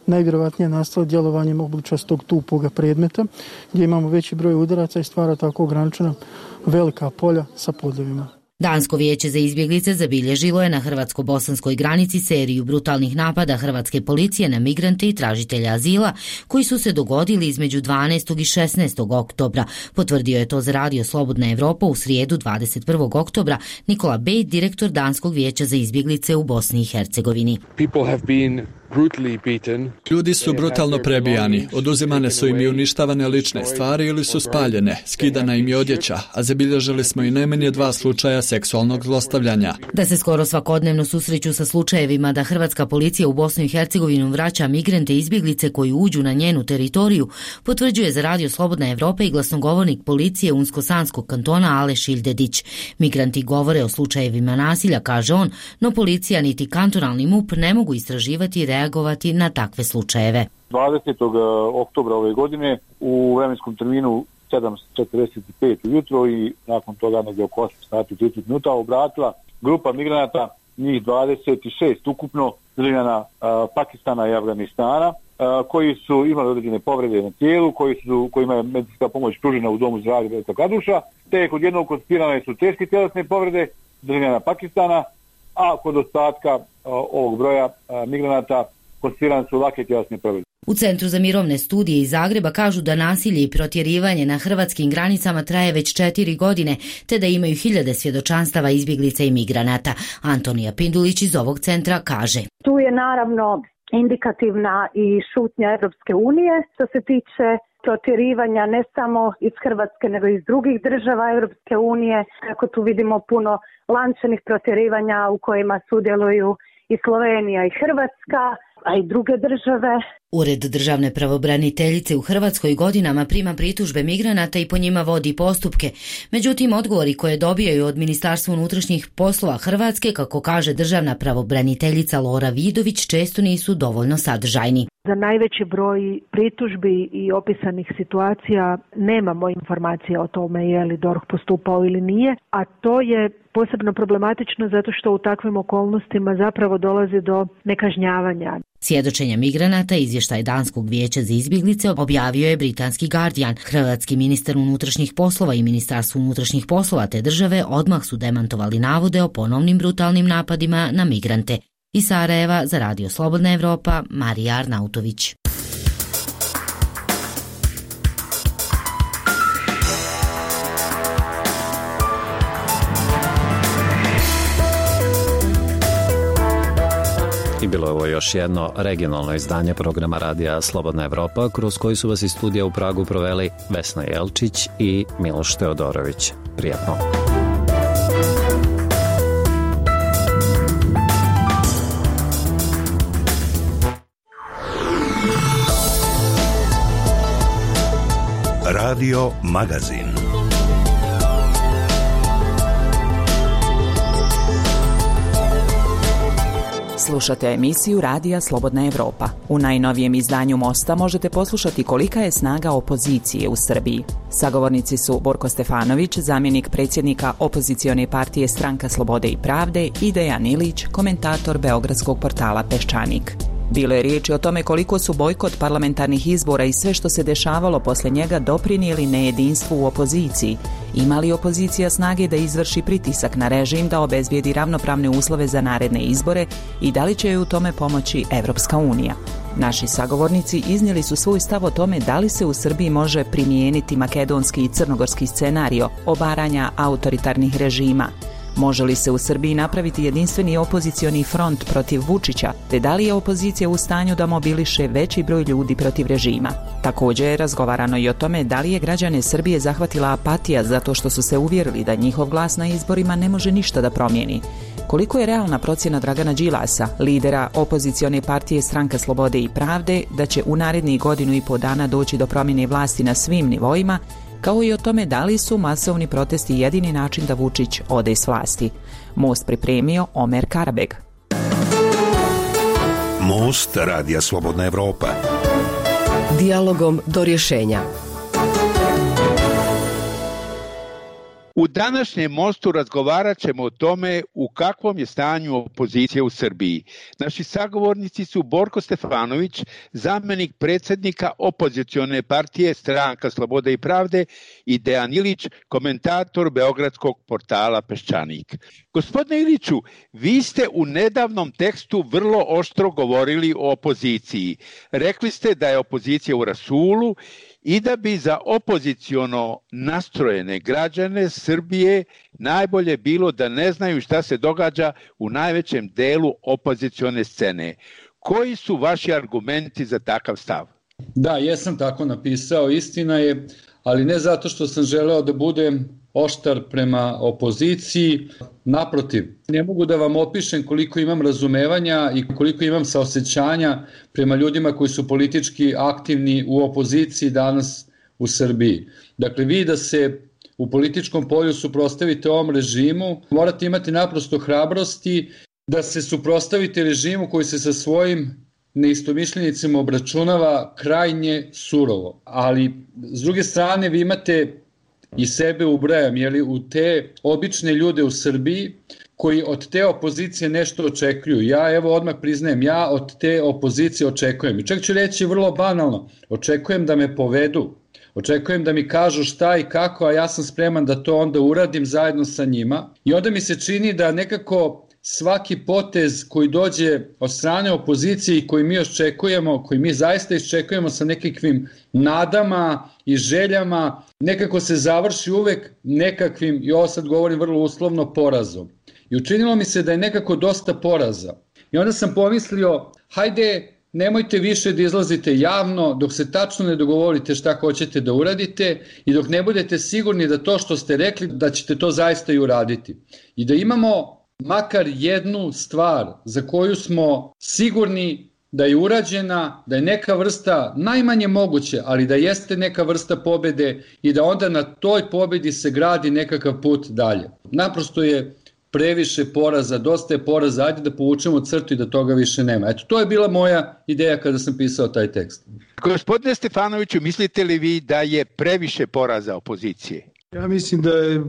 Speaker 13: najvjerovatnije nastale djelovanjem obličastog tupoga predmeta, gdje imamo veći broj udaraca i stvara tako ograničena velika polja sa podljevima.
Speaker 4: Dansko vijeće za izbjeglice zabilježilo je na hrvatsko-bosanskoj granici seriju brutalnih napada hrvatske policije na migrante i tražitelja azila koji su se dogodili između dvanaestog i šesnaestog oktobra. Potvrdio je to za Radio Slobodna Evropa u srijedu dvadeset prvog oktobra Nikola Bejt, direktor Danskog vijeća za izbjeglice u Bosni i Hercegovini.
Speaker 12: Ljudi su brutalno prebijani, oduzimane su im i uništavane lične stvari ili su spaljene, skidana im je odjeća, a zabilježili smo i najmanje dva slučaja seksualnog zlostavljanja.
Speaker 4: Da se skoro svakodnevno susreću sa slučajevima da hrvatska policija u Bosnu i Hercegovinu vraća migrante i izbjeglice koji uđu na njenu teritoriju, potvrđuje za Radio Slobodna Evropa i glasnogovornik policije Unsko-Sanskog kantona Aleš Ildedić. Migranti govore o slučajevima nasilja, kaže on, no policija niti kantonalni M U P ne mogu istraživati i reagovati na takve slučajeve.
Speaker 14: dvadesetog oktobra ove godine u vremenskom terminu sedam četrdeset pet ujutro i nakon toga negdje oko osam sati i trideset minuta obratila grupa migranata, njih dvadeset šest ukupno, državljana Pakistana i Afganistana, a, koji su imali određene povrede na tijelu, koji su, kojima je medicinska pomoć pružena u domu zdravlja Velika Kladuša, te kod jednog konstatirane su teške tjelesne povrede državljana Pakistana, a kod ostatka a, ovog broja a, migranata konstatirane su lake tjelesne povrede.
Speaker 4: U Centru za mirovne studije iz Zagreba kažu da nasilje i protjerivanje na hrvatskim granicama traje već četiri godine, te da imaju hiljade svjedočanstava izbjeglica i migranata. Antonija Pindulić iz ovog centra kaže:
Speaker 15: Tu je naravno indikativna i šutnja Evropske unije što se tiče protjerivanja ne samo iz Hrvatske nego i iz drugih država Evropske unije. Tako tu vidimo puno lančanih protjerivanja u kojima sudjeluju i Slovenija i Hrvatska, a i druge države.
Speaker 4: Ured državne pravobraniteljice u Hrvatskoj godinama prima pritužbe migranata i po njima vodi postupke. Međutim, odgovori koje dobijaju od Ministarstva unutrašnjih poslova Hrvatske, kako kaže državna pravobraniteljica Lora Vidović, često nisu dovoljno sadržajni.
Speaker 27: Za najveći broj pritužbi i opisanih situacija nemamo informacije o tome je li D O R H postupao ili nije, a to je posebno problematično zato što u takvim okolnostima zapravo dolazi do nekažnjavanja.
Speaker 4: Svjedočenja migranata, izvještaj Danskog vijeća za izbjeglice, objavio je britanski Guardian. Hrvatski ministar unutrašnjih poslova i Ministarstvo unutrašnjih poslova te države odmah su demantovali navode o ponovnim brutalnim napadima na migrante. Iz Sarajeva za Radio Slobodna Evropa, Marija Arnautović.
Speaker 1: I bilo je ovo još jedno regionalno izdanje programa Radija Slobodna Evropa, kroz koji su vas iz studija u Pragu proveli Vesna Jelčić i Miloš Teodorović. Prijatno.
Speaker 2: Radio Magazin.
Speaker 16: Slušate emisiju Radija Slobodna Evropa. U najnovijem izdanju Mosta možete poslušati kolika je snaga opozicije u Srbiji. Sagovornici su Borko Stefanović, zamjenik predsjednika opozicione partije Stranka slobode i pravde, i Dejan Ilić, komentator beogradskog portala Peščanik. Bilo je riječi o tome koliko su bojkot parlamentarnih izbora i sve što se dešavalo posle njega doprinijeli nejedinstvu u opoziciji. Ima li opozicija snage da izvrši pritisak na režim da obezbijedi ravnopravne uslove za naredne izbore i da li će joj u tome pomoći Evropska unija? Naši sagovornici iznijeli su svoj stav o tome da li se u Srbiji može primijeniti makedonski i crnogorski scenario obaranja autoritarnih režima. Može li se u Srbiji napraviti jedinstveni opozicioni front protiv Vučića, te da li je opozicija u stanju da mobiliše veći broj ljudi protiv režima? Također je razgovarano i o tome da li je građane Srbije zahvatila apatija zato što su se uvjerili da njihov glas na izborima ne može ništa da promijeni. Koliko je realna procjena Dragana Đilasa, lidera opozicione partije Stranka slobode i pravde, da će u narednih godinu i po dana doći do promjene vlasti na svim nivoima, kao i o tome da li su masovni protesti jedini način da Vučić ode s vlasti. Most pripremio Omer Karabeg.
Speaker 2: Most Radija Slobodna Evropa.
Speaker 6: Dijalogom do rješenja.
Speaker 17: U današnjem Mostu razgovarat ćemo o tome u kakvom je stanju opozicija u Srbiji. Naši sagovornici su Borko Stefanović, zamjenik predsjednika opozicione partije Stranka slobode i pravde, i Dejan Ilić, komentator beogradskog portala Peščanik. Gospodine Iliću, vi ste u nedavnom tekstu vrlo oštro govorili o opoziciji. Rekli ste da je opozicija u rasulu i da bi za opoziciono nastrojene građane Srbije najbolje bilo da ne znaju šta se događa u najvećem delu opozicione scene. Koji su vaši argumenti za takav stav?
Speaker 18: Da, jesam tako napisao, istina je, ali ne zato što sam želeo da budem oštar prema opoziciji. Naprotiv, ne mogu da vam opišem koliko imam razumevanja i koliko imam saosećanja prema ljudima koji su politički aktivni u opoziciji danas u Srbiji. Dakle, vi da se u političkom polju suprotstavite ovom režimu, morate imati naprosto hrabrosti da se suprotstavite režimu koji se sa svojim neistomišljenicima obračunava krajnje surovo. Ali, s druge strane, vi imate i sebe ubrajam, jeli, u te obične ljude u Srbiji koji od te opozicije nešto očekuju. Ja, evo, odmah priznajem, ja od te opozicije očekujem. I čak ću reći vrlo banalno, očekujem da me povedu, očekujem da mi kažu šta i kako, a ja sam spreman da to onda uradim zajedno sa njima. I onda mi se čini da nekako svaki potez koji dođe od strane opozicije i koji mi očekujemo, koji mi zaista iščekujemo sa nekakvim nadama i željama, nekako se završi uvek nekakvim, i ovo sad govorim vrlo uslovno, porazom. I učinilo mi se da je nekako dosta poraza. I onda sam pomislio, hajde, nemojte više da izlazite javno dok se tačno ne dogovorite šta hoćete da uradite i dok ne budete sigurni da to što ste rekli, da ćete to zaista i uraditi. I da imamo makar jednu stvar za koju smo sigurni da je urađena, da je neka vrsta, najmanje moguće, ali da jeste neka vrsta pobede i da onda na toj pobedi se gradi nekakav put dalje. Naprosto je previše poraza, dosta je poraza, ajde da povučemo crtu i da toga više nema. Eto, to je bila moja ideja kada sam pisao taj tekst.
Speaker 17: Gospodine Stefanoviću, mislite li vi da je previše poraza opozicije?
Speaker 19: Ja mislim da je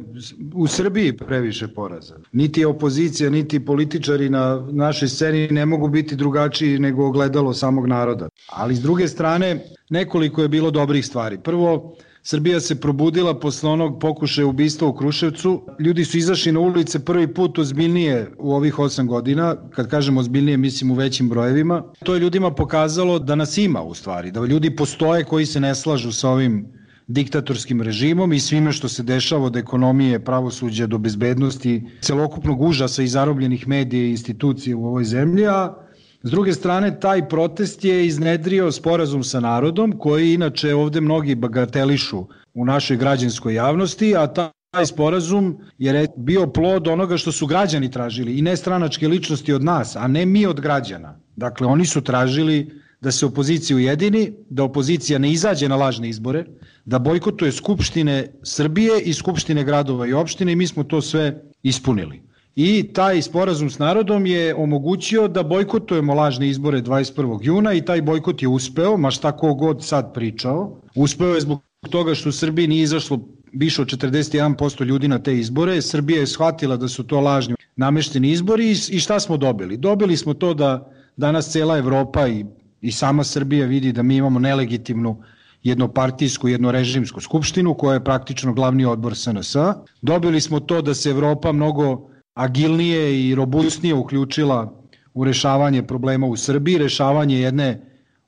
Speaker 19: u Srbiji previše poraza. Niti opozicija, niti političari na našoj sceni ne mogu biti drugačiji nego ogledalo samog naroda. Ali s druge strane, nekoliko je bilo dobrih stvari. Prvo, Srbija se probudila posle onog pokušaja ubistva u Kruševcu. Ljudi su izašli na ulice prvi put ozbiljnije u ovih osam godina. Kad kažem ozbiljnije, mislim u većim brojevima. To je ljudima pokazalo da nas ima u stvari, da ljudi postoje koji se ne slažu sa ovim diktatorskim režimom i svime što se dešava od ekonomije, pravosuđa do bezbednosti, celokupnog užasa i zarobljenih medija i institucija u ovoj zemlji, a S druge strane, taj protest je iznedrio sporazum sa narodom, koji inače ovde mnogi bagatelišu u našoj građanskoj javnosti, a taj sporazum je bio plod onoga što su građani tražili i ne stranačke ličnosti od nas, a ne mi od građana. Dakle, oni su tražili da se opozicija ujedini, da opozicija ne izađe na lažne izbore, da bojkotuje Skupštine Srbije i Skupštine gradova i opštine i mi smo to sve ispunili. I taj sporazum s narodom je omogućio da bojkotujemo lažne izbore dvadeset prvog juna i taj bojkot je uspeo, ma šta ko god sad pričao. Uspeo je zbog toga što u Srbiji nije izašlo više od četrdeset jedan posto ljudi na te izbore. Srbija je shvatila da su to lažni namešteni izbori i šta smo dobili? Dobili smo to da danas cela Evropa i, i sama Srbija vidi da mi imamo nelegitimnu jednopartijsku, jednorežimsku skupštinu koja je praktično glavni odbor S N S. Dobili smo to da se Evropa mnogo agilnije i robustnije uključila u rešavanje problema u Srbiji, rešavanje jedne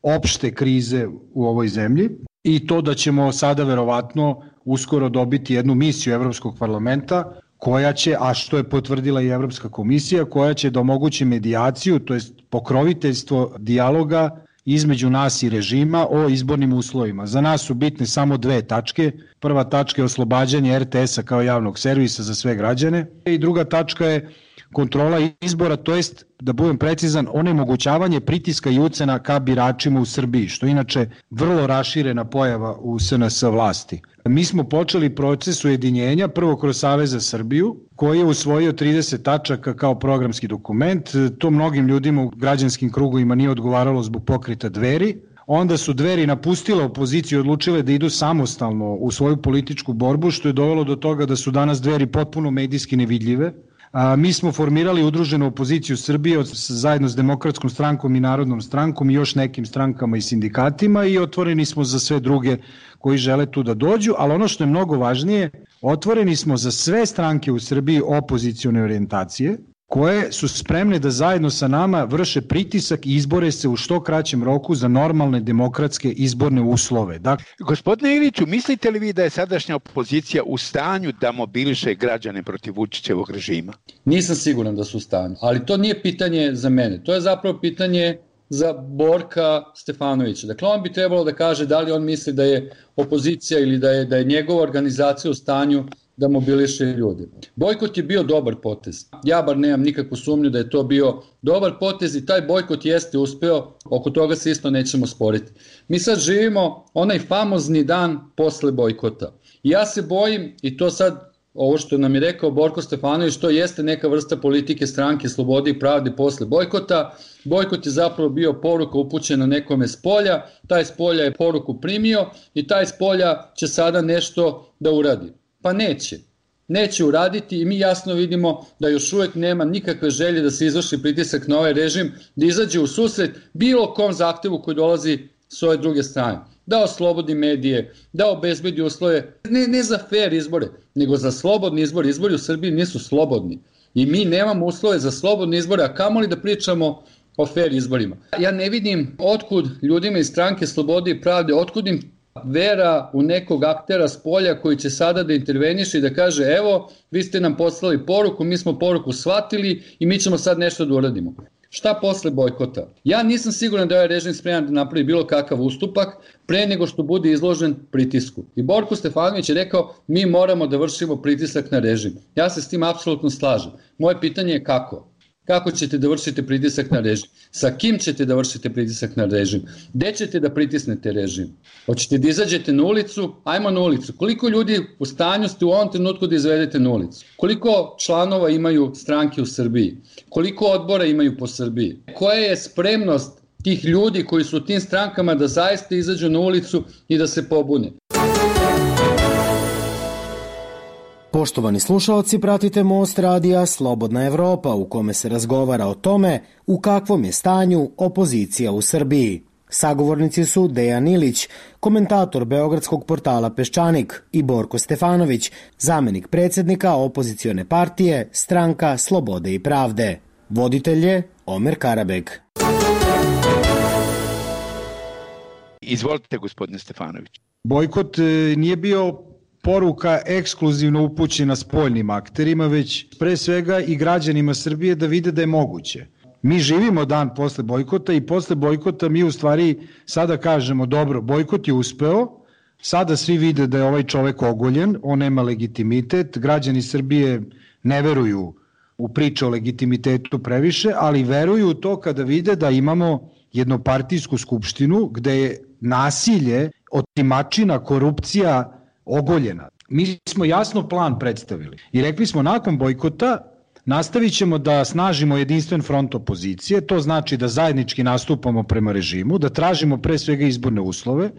Speaker 19: opšte krize u ovoj zemlji i to da ćemo sada verovatno uskoro dobiti jednu misiju Evropskog parlamenta koja će, a što je potvrdila i Evropska komisija, koja će da omogući medijaciju, to jest pokroviteljstvo dijaloga između nas i režima o izbornim uslovima. Za nas su bitne samo dve tačke. Prva tačka je oslobađanje R T S-a kao javnog servisa za sve građane i druga tačka je kontrola izbora, to jest, da budem precizan, onemogućavanje pritiska i ucena ka biračima u Srbiji, što je inače vrlo raširena pojava u S N S vlasti. Mi smo počeli proces ujedinjenja prvo kroz Savez za Srbiju, koji je usvojio trideset tačaka kao programski dokument. To mnogim ljudima u građanskim krugovima nije odgovaralo zbog pokreta Dveri. Onda su Dveri napustile opoziciju i odlučile da idu samostalno u svoju političku borbu, što je dovelo do toga da su danas Dveri potpuno medijski nevidljive. A, mi smo formirali udruženu opoziciju Srbije od, zajedno s Demokratskom strankom i Narodnom strankom i još nekim strankama i sindikatima i otvoreni smo za sve druge koji žele tu da dođu, ali ono što je mnogo važnije, otvoreni smo za sve stranke u Srbiji opozicione orijentacije koje su spremne da zajedno sa nama vrše pritisak i izbore se u što kraćem roku za normalne demokratske izborne uslove. Dakle,
Speaker 17: Gospodine Iliću, mislite li vi da je sadašnja opozicija u stanju da mobiliše građane protiv Vučićevog režima?
Speaker 18: Nisam siguran da su u stanju, ali to nije pitanje za mene. To je zapravo pitanje za Borka Stefanovića. Dakle, on bi trebalo da kaže da li on misli da je opozicija ili da je, da je njegova organizacija u stanju da mobiliše ljude. Bojkot je bio dobar potez. Ja bar nemam nikakvu sumnju da je to bio dobar potez i taj bojkot jeste uspeo, oko toga se isto nećemo sporiti. Mi sad živimo onaj famozni dan posle bojkota. I ja se bojim, i to sad ovo što nam je rekao Borko Stefanović, to jeste neka vrsta politike stranke Slobode i pravde posle bojkota. Bojkot je zapravo bio poruka upućena nekome s polja, taj s polja je poruku primio i taj s polja će sada nešto da uradi. Pa neće. Neće uraditi i mi jasno vidimo da još uvek nema nikakve želje da se izvrši pritisak na ovaj režim, da izađe u susret bilo kom zahtevu koji dolazi s ove druge strane. Da oslobodi medije, da obezbedi uslove, ne, ne za fair izbore, nego za slobodni izbor. Izbori u Srbiji nisu slobodni i mi nemamo uslove za slobodne izbore, a kamoli da pričamo o fair izborima. Ja ne vidim otkud ljudima iz stranke Slobode i pravde, otkud im vera u nekog aktera s polja koji će sada da interveniše i da kaže evo, vi ste nam poslali poruku, mi smo poruku shvatili i mi ćemo sad nešto da uradimo. Šta posle bojkota? Ja nisam siguran da je ovaj režim spreman da napravi bilo kakav ustupak pre nego što bude izložen pritisku. I Borko Stefanović je rekao mi moramo da vršimo pritisak na režim. Ja se s tim apsolutno slažem. Moje pitanje je kako? Kako ćete da vršite pritisak na režim? Sa kim ćete da vršite pritisak na režim? Gde ćete da pritisnete režim? Hoćete da izađete na ulicu? Ajmo na ulicu. Koliko ljudi u stanju ste u ovom trenutku da izvedete na ulicu? Koliko članova imaju stranke u Srbiji? Koliko odbora imaju po Srbiji? Koja je spremnost tih ljudi koji su u tim strankama da zaista izađu na ulicu i da se pobune?
Speaker 3: Poštovani slušalci, pratite Most radija Slobodna Evropa u kome se razgovara o tome u kakvom je stanju opozicija u Srbiji. Sagovornici su Dejan Ilić, komentator beogradskog portala Peščanik, i Borko Stefanović, zamenik predsjednika opozicione partije Stranka Slobode i pravde. Voditelj je Omer Karabek.
Speaker 17: Izvolite, gospodine Stefanović.
Speaker 19: Bojkot nije bio poruka ekskluzivno upućena spoljnim akterima, već pre svega i građanima Srbije da vide da je moguće. Mi živimo dan posle bojkota i posle bojkota mi u stvari sada kažemo dobro, bojkot je uspeo, sada svi vide da je ovaj čovek ogoljen, on nema legitimitet, građani Srbije ne veruju u priču o legitimitetu previše, ali veruju u to kada vide da imamo jednopartijsku skupštinu gde je nasilje, otimačina, korupcija ogoljena. Mi smo jasno plan predstavili i rekli smo nakon bojkota nastavit ćemo da snažimo jedinstven front opozicije, to znači da zajednički nastupamo prema režimu, da tražimo pre svega izborne uslove,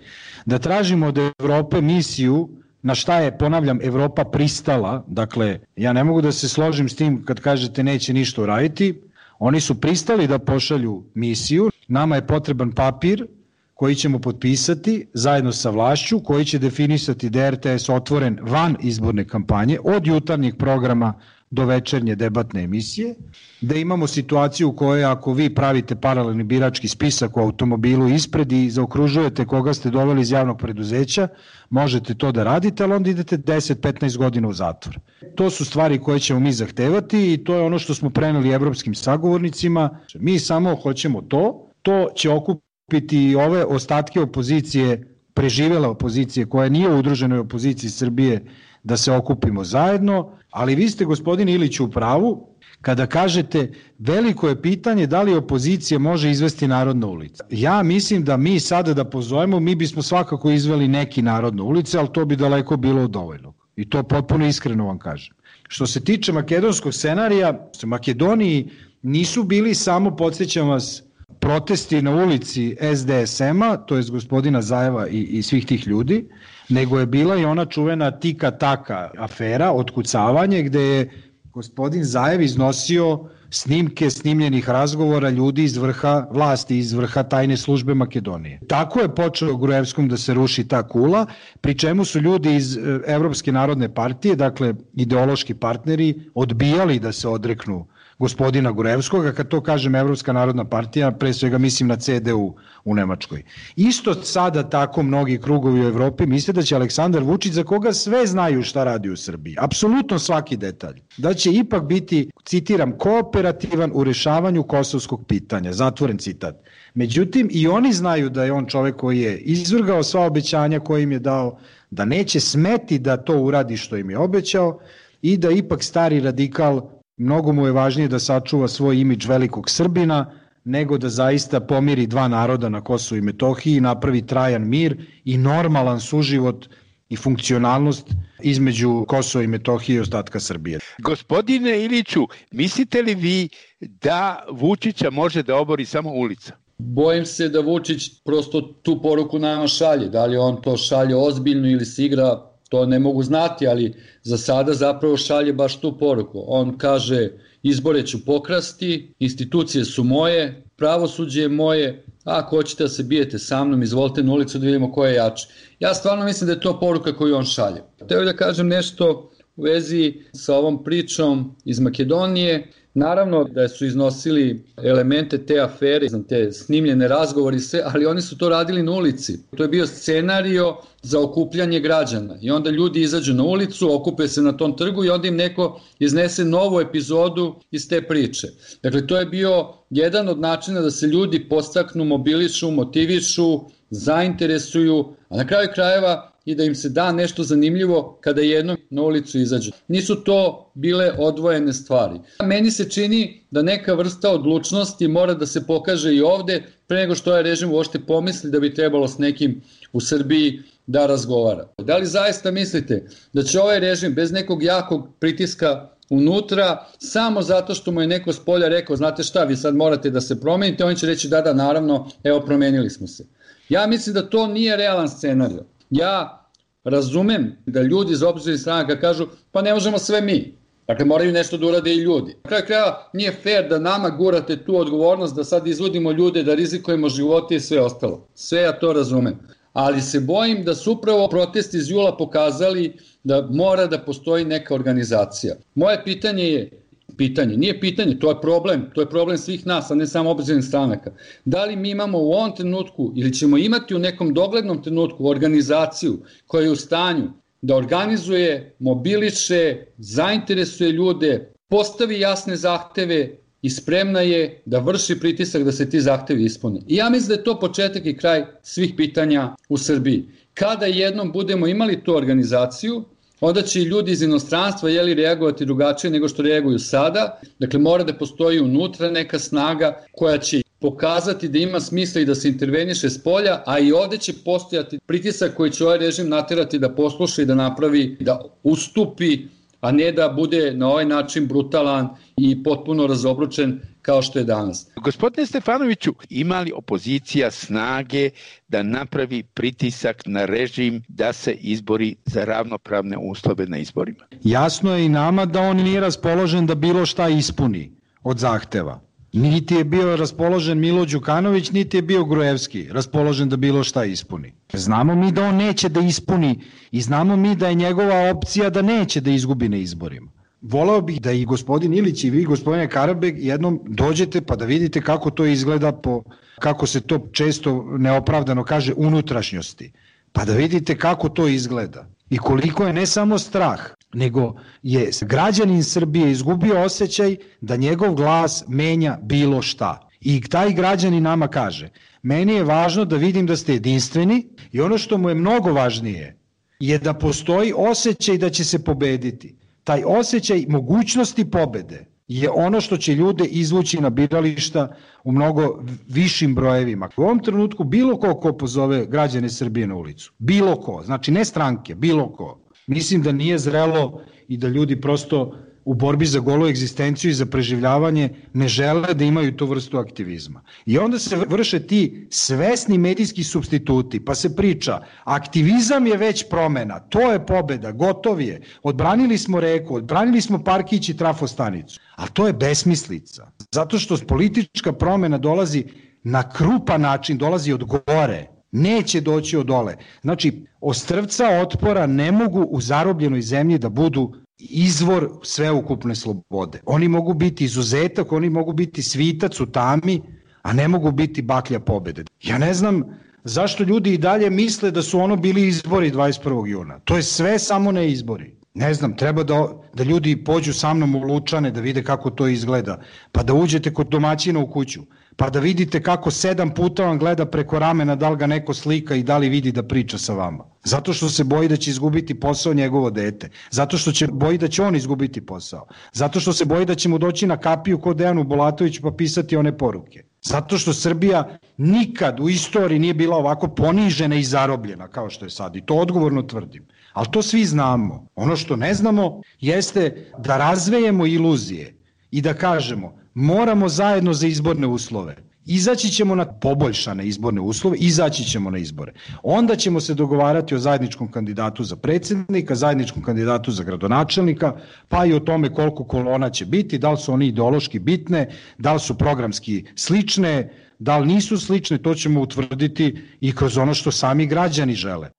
Speaker 19: da tražimo od Evrope misiju na šta je, ponavljam, Evropa pristala, dakle, ja ne mogu da se složim s tim kad kažete neće ništa uraditi, oni su pristali da pošalju misiju, nama je potreban papir koji ćemo potpisati zajedno sa vlašću, koji će definisati da je R T S otvoren van izborne kampanje, od jutarnjih programa do večernje debatne emisije, da imamo situaciju u kojoj ako vi pravite paralelni birački spisak u automobilu ispred i zaokružujete koga ste doveli iz javnog preduzeća, možete to da radite, ali onda idete deset do petnaest godina u zatvor. To su stvari koje ćemo mi zahtevati i to je ono što smo preneli evropskim sagovornicima. Mi samo hoćemo to, to će okupiti ove ostatke opozicije, preživele opozicije koja nije u udruženoj opoziciji Srbije, da se okupimo zajedno, ali vi ste, gospodine Iliću, u pravu kada kažete veliko je pitanje da li opozicija može izvesti narod na ulicu. Ja mislim da mi sada da pozovemo, mi bismo svakako izveli neki narod na ulice, ali to bi daleko bilo dovoljno. I to potpuno iskreno vam kažem. Što se tiče makedonskog scenarija, u Makedoniji nisu bili samo, podsjećam vas, protesti na ulici S D S M-a, to je gospodina Zajeva i, i svih tih ljudi, nego je bila i ona čuvena tika-taka afera, otkucavanje, gde je gospodin Zajev iznosio snimke snimljenih razgovora ljudi iz vrha vlasti, iz vrha tajne službe Makedonije. Tako je počeo Gruevskom da se ruši ta kula, pri čemu su ljudi iz Evropske narodne partije, dakle ideološki partneri, odbijali da se odreknu gospodina Gruevskog, a kad to kažem Evropska narodna partija, pre svega mislim na C D U u Nemačkoj. Isto sada tako mnogi krugovi u Evropi misle da će Aleksandar Vučić, za koga sve znaju šta radi u Srbiji, apsolutno svaki detalj, da će ipak biti, citiram, kooperativan u rešavanju kosovskog pitanja, zatvoren citat. Međutim, i oni znaju da je on čovek koji je izvrgao sva obećanja koje im je dao, da neće smeti da to uradi što im je obećao i da ipak stari radikal, mnogo mu je važnije da sačuva svoj imidž velikog Srbina, nego da zaista pomiri dva naroda na Kosovu i Metohiji, napravi trajan mir i normalan suživot i funkcionalnost između Kosova i Metohije i ostatka Srbije.
Speaker 17: Gospodine Iliću, mislite li vi da Vučića može da obori samo ulica?
Speaker 18: Bojim se da Vučić prosto tu poruku nama šalje. Da li on to šalje ozbiljno ili se igra, to ne mogu znati, ali za sada zapravo šalje baš tu poruku. On kaže, izbore ću pokrasti, institucije su moje, pravosuđe je moje, a ako hoćete da se bijete sa mnom, izvolite na ulicu da vidimo ko je jači. Ja stvarno mislim da je to poruka koju on šalje. Hteo da kažem nešto u vezi sa ovom pričom iz Makedonije. Naravno da su iznosili elemente te afere, te snimljene razgovori, sve, ali oni su to radili na ulici. To je bio scenario za okupljanje građana i onda ljudi izađu na ulicu, okupe se na tom trgu i onda im neko iznese novu epizodu iz te priče. Dakle, to je bio jedan od načina da se ljudi podstaknu, mobilišu, motivišu, zainteresuju, a na kraju krajeva i da im se da nešto zanimljivo kada jednom na ulicu izađu. Nisu to bile odvojene stvari. Meni se čini da neka vrsta odlučnosti mora da se pokaže i ovde, pre nego što ovaj režim uopšte pomisli da bi trebalo s nekim u Srbiji da razgovara. Da li zaista mislite da će ovaj režim bez nekog jakog pritiska unutra, samo zato što mu je neko s polja rekao, znate šta, vi sad morate da se promenite, on će reći da, da, naravno, evo, promenili smo se. Ja mislim da to nije realan scenario. Ja razumem da ljudi iz opozicionih stranaka kažu, pa ne možemo sve mi. Dakle, moraju nešto da urade i ljudi. Na kraju kraja nije fair da nama gurate tu odgovornost, da sad izvodimo ljude, da rizikujemo živote i sve ostalo. Sve ja to razumem. Ali se bojim da su upravo protesti iz jula pokazali da mora da postoji neka organizacija. Moje pitanje je, pitanje, nije pitanje, to je problem, to je problem svih nas, a ne samo opozicionih stranaka. Da li mi imamo u ovom trenutku ili ćemo imati u nekom doglednom trenutku organizaciju koja je u stanju da organizuje, mobiliše, zainteresuje ljude, postavi jasne zahteve i spremna je da vrši pritisak da se ti zahtevi ispune. I ja mislim da je to početak i kraj svih pitanja u Srbiji. Kada jednom budemo imali tu organizaciju, onda će i ljudi iz inostranstva jeli reagovati drugačije nego što reaguju sada. Dakle, mora da postoji unutra neka snaga koja će pokazati da ima smisla i da se interveniše s polja, a i ovde će postojati pritisak koji će ovaj režim naterati da posluša i da napravi, da ustupi, a ne da bude na ovaj način brutalan i potpuno razobručen kao što je danas.
Speaker 17: Gospodine Stefanoviću, ima li opozicija snage da napravi pritisak na režim da se izbori za ravnopravne uslove na izborima?
Speaker 19: Jasno je i nama da on nije raspoložen da bilo šta ispuni od zahteva. Niti je bio raspoložen Milo Đukanović, niti je bio Gruevski raspoložen da bilo šta ispuni. Znamo mi da on neće da ispuni i znamo mi da je njegova opcija da neće da izgubi na izborima. Voleo bih da i gospodin Ilić i vi, gospodine Karabek, jednom dođete pa da vidite kako to izgleda, po, kako se to često neopravdano kaže, unutrašnjosti. Pa da vidite kako to izgleda i koliko je ne samo strah, nego je građanin Srbije izgubio osjećaj da njegov glas menja bilo šta. I taj građanin nama kaže, meni je važno da vidim da ste jedinstveni i ono što mu je mnogo važnije je da postoji osjećaj da će se pobediti. Taj osjećaj mogućnosti pobede je ono što će ljude izvući na birališta u mnogo višim brojevima. U ovom trenutku bilo ko ko pozove građane Srbije na ulicu, bilo ko, znači ne stranke, bilo ko, mislim da nije zrelo i da ljudi prosto u borbi za golu egzistenciju i za preživljavanje ne žele da imaju tu vrstu aktivizma. I onda se vrše ti svesni medijski supstituti, pa se priča, aktivizam je već promena, to je pobeda, gotov je, odbranili smo reku, odbranili smo parkić i trafostanicu, a to je besmislica. Zato što politička promena dolazi na krupan način, dolazi od gore, neće doći od dole. Znači, ostrvca otpora ne mogu u zarobljenoj zemlji da budu izvor sveukupne slobode. Oni mogu biti izuzetak, oni mogu biti svitac u tami, a ne mogu biti baklja pobede. Ja ne znam zašto ljudi i dalje misle da su ono bili izbori dvadeset prvog juna. To je sve samo ne izbori. Ne znam, treba da, da ljudi pođu sa mnom u Lučane da vide kako to izgleda, pa da uđete kod domaćina u kuću, pa da vidite kako sedam puta vam gleda preko ramena da li ga neko slika i da li vidi da priča sa vama. Zato što se boji da će izgubiti posao njegovo dete. Zato što će boji da će on izgubiti posao. Zato što se boji da će mu doći na kapiju kod Dejanu Bulatoviću pa pisati one poruke. Zato što Srbija nikad u istoriji nije bila ovako ponižena i zarobljena kao što je sad. I to odgovorno tvrdim. Ali to svi znamo. Ono što ne znamo jeste da razvejemo iluzije i da kažemo moramo zajedno za izborne uslove. Izaći ćemo na poboljšane izborne uslove, izaći ćemo na izbore. Onda ćemo se dogovarati o zajedničkom kandidatu za predsjednika, zajedničkom kandidatu za gradonačelnika, pa i o tome koliko kolona će biti, da li su oni ideološki bitne, da li su programski slične, da li nisu slične, to ćemo utvrditi i kroz ono što sami građani žele.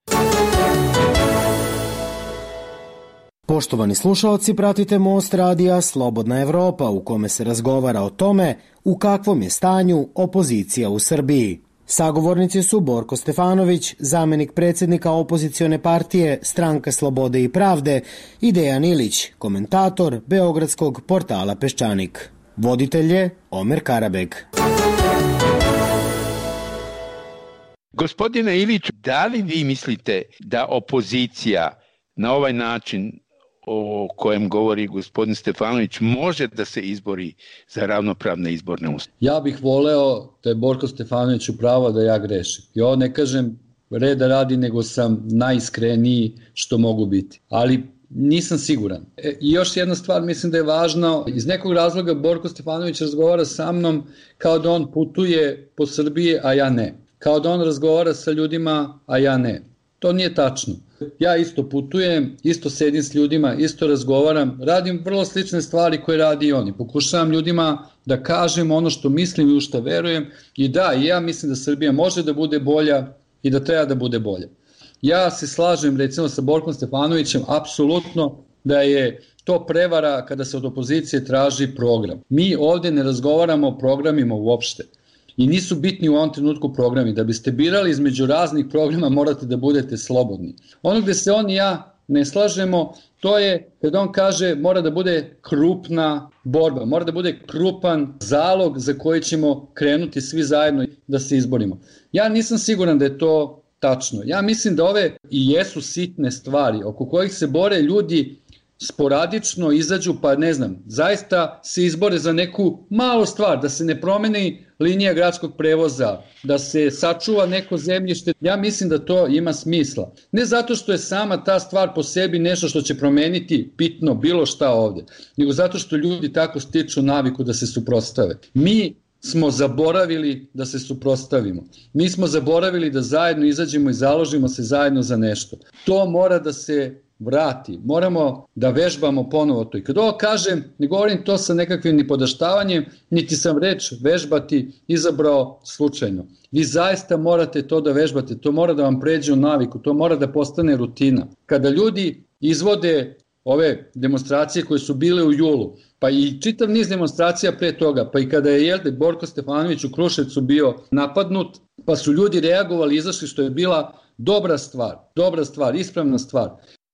Speaker 3: Poštovani slušalci, pratite Most radija Slobodna Evropa u kome se razgovara o tome u kakvom je stanju opozicija u Srbiji. Sagovornici su Borko Stefanović, zamenik predsjednika opozicione partije Stranka slobode i pravde, i Dejan Ilić, komentator beogradskog portala Peščanik. Voditelj je Omer Karabeg.
Speaker 17: Gospodine Ilić, da li vi mislite da opozicija na ovaj način o kojem govori gospodin Stefanović može da se izbori za ravnopravne izborne uslove?
Speaker 18: Ja bih voleo da je Borko Stefanović upravo da ja grešim. I ovo ne kažem reda radi, nego sam najiskreniji što mogu biti. Ali nisam siguran. E, I još jedna stvar mislim da je važno. Iz nekog razloga Borko Stefanović razgovara sa mnom kao da on putuje po Srbiji, a ja ne. Kao da on razgovara sa ljudima, a ja ne. To nije tačno. Ja isto putujem, isto sedim s ljudima, isto razgovaram, radim vrlo slične stvari koje radi i oni. Pokušavam ljudima da kažem ono što mislim i u što verujem i da, ja mislim da Srbija može da bude bolja i da treba da bude bolja. Ja se slažem recimo sa Borkom Stefanovićem apsolutno da je to prevara kada se od opozicije traži program. Mi ovde ne razgovaramo o programima uopšte. I nisu bitni u ovom trenutku programi. Da biste birali između raznih programa morate da budete slobodni. Ono gde se on i ja ne slažemo, to je kad on kaže mora da bude krupna borba, mora da bude krupan zalog za koji ćemo krenuti svi zajedno da se izborimo. Ja nisam siguran da je to tačno. Ja mislim da ove i jesu sitne stvari oko kojih se bore ljudi sporadično, izađu pa ne znam, zaista se izbore za neku malu stvar, da se ne promeni linija gradskog prevoza, da se sačuva neko zemljište. Ja mislim da to ima smisla. Ne zato što je sama ta stvar po sebi nešto što će promeniti bitno bilo šta ovde, nego zato što ljudi tako stiču naviku da se suprotstave. Mi smo zaboravili da se suprotstavimo. Mi smo zaboravili da zajedno izađemo i založimo se zajedno za nešto. To mora da se vrati. Moramo da vežbamo ponovo to. I kad ovo kažem, ne govorim to sa nekakvim ni podaštavanjem, niti sam reč vežbati izabrao slučajno. Vi zaista morate to da vežbate, to mora da vam pređe u naviku, to mora da postane rutina. Kada ljudi izvode ove demonstracije koje su bile u julu, pa i čitav niz demonstracija pre toga, pa i kada je jelde Borko Stefanović u Kruševcu bio napadnut, pa su ljudi reagovali, izašli, što je bila dobra stvar, dobra stvar, ispravna stvar.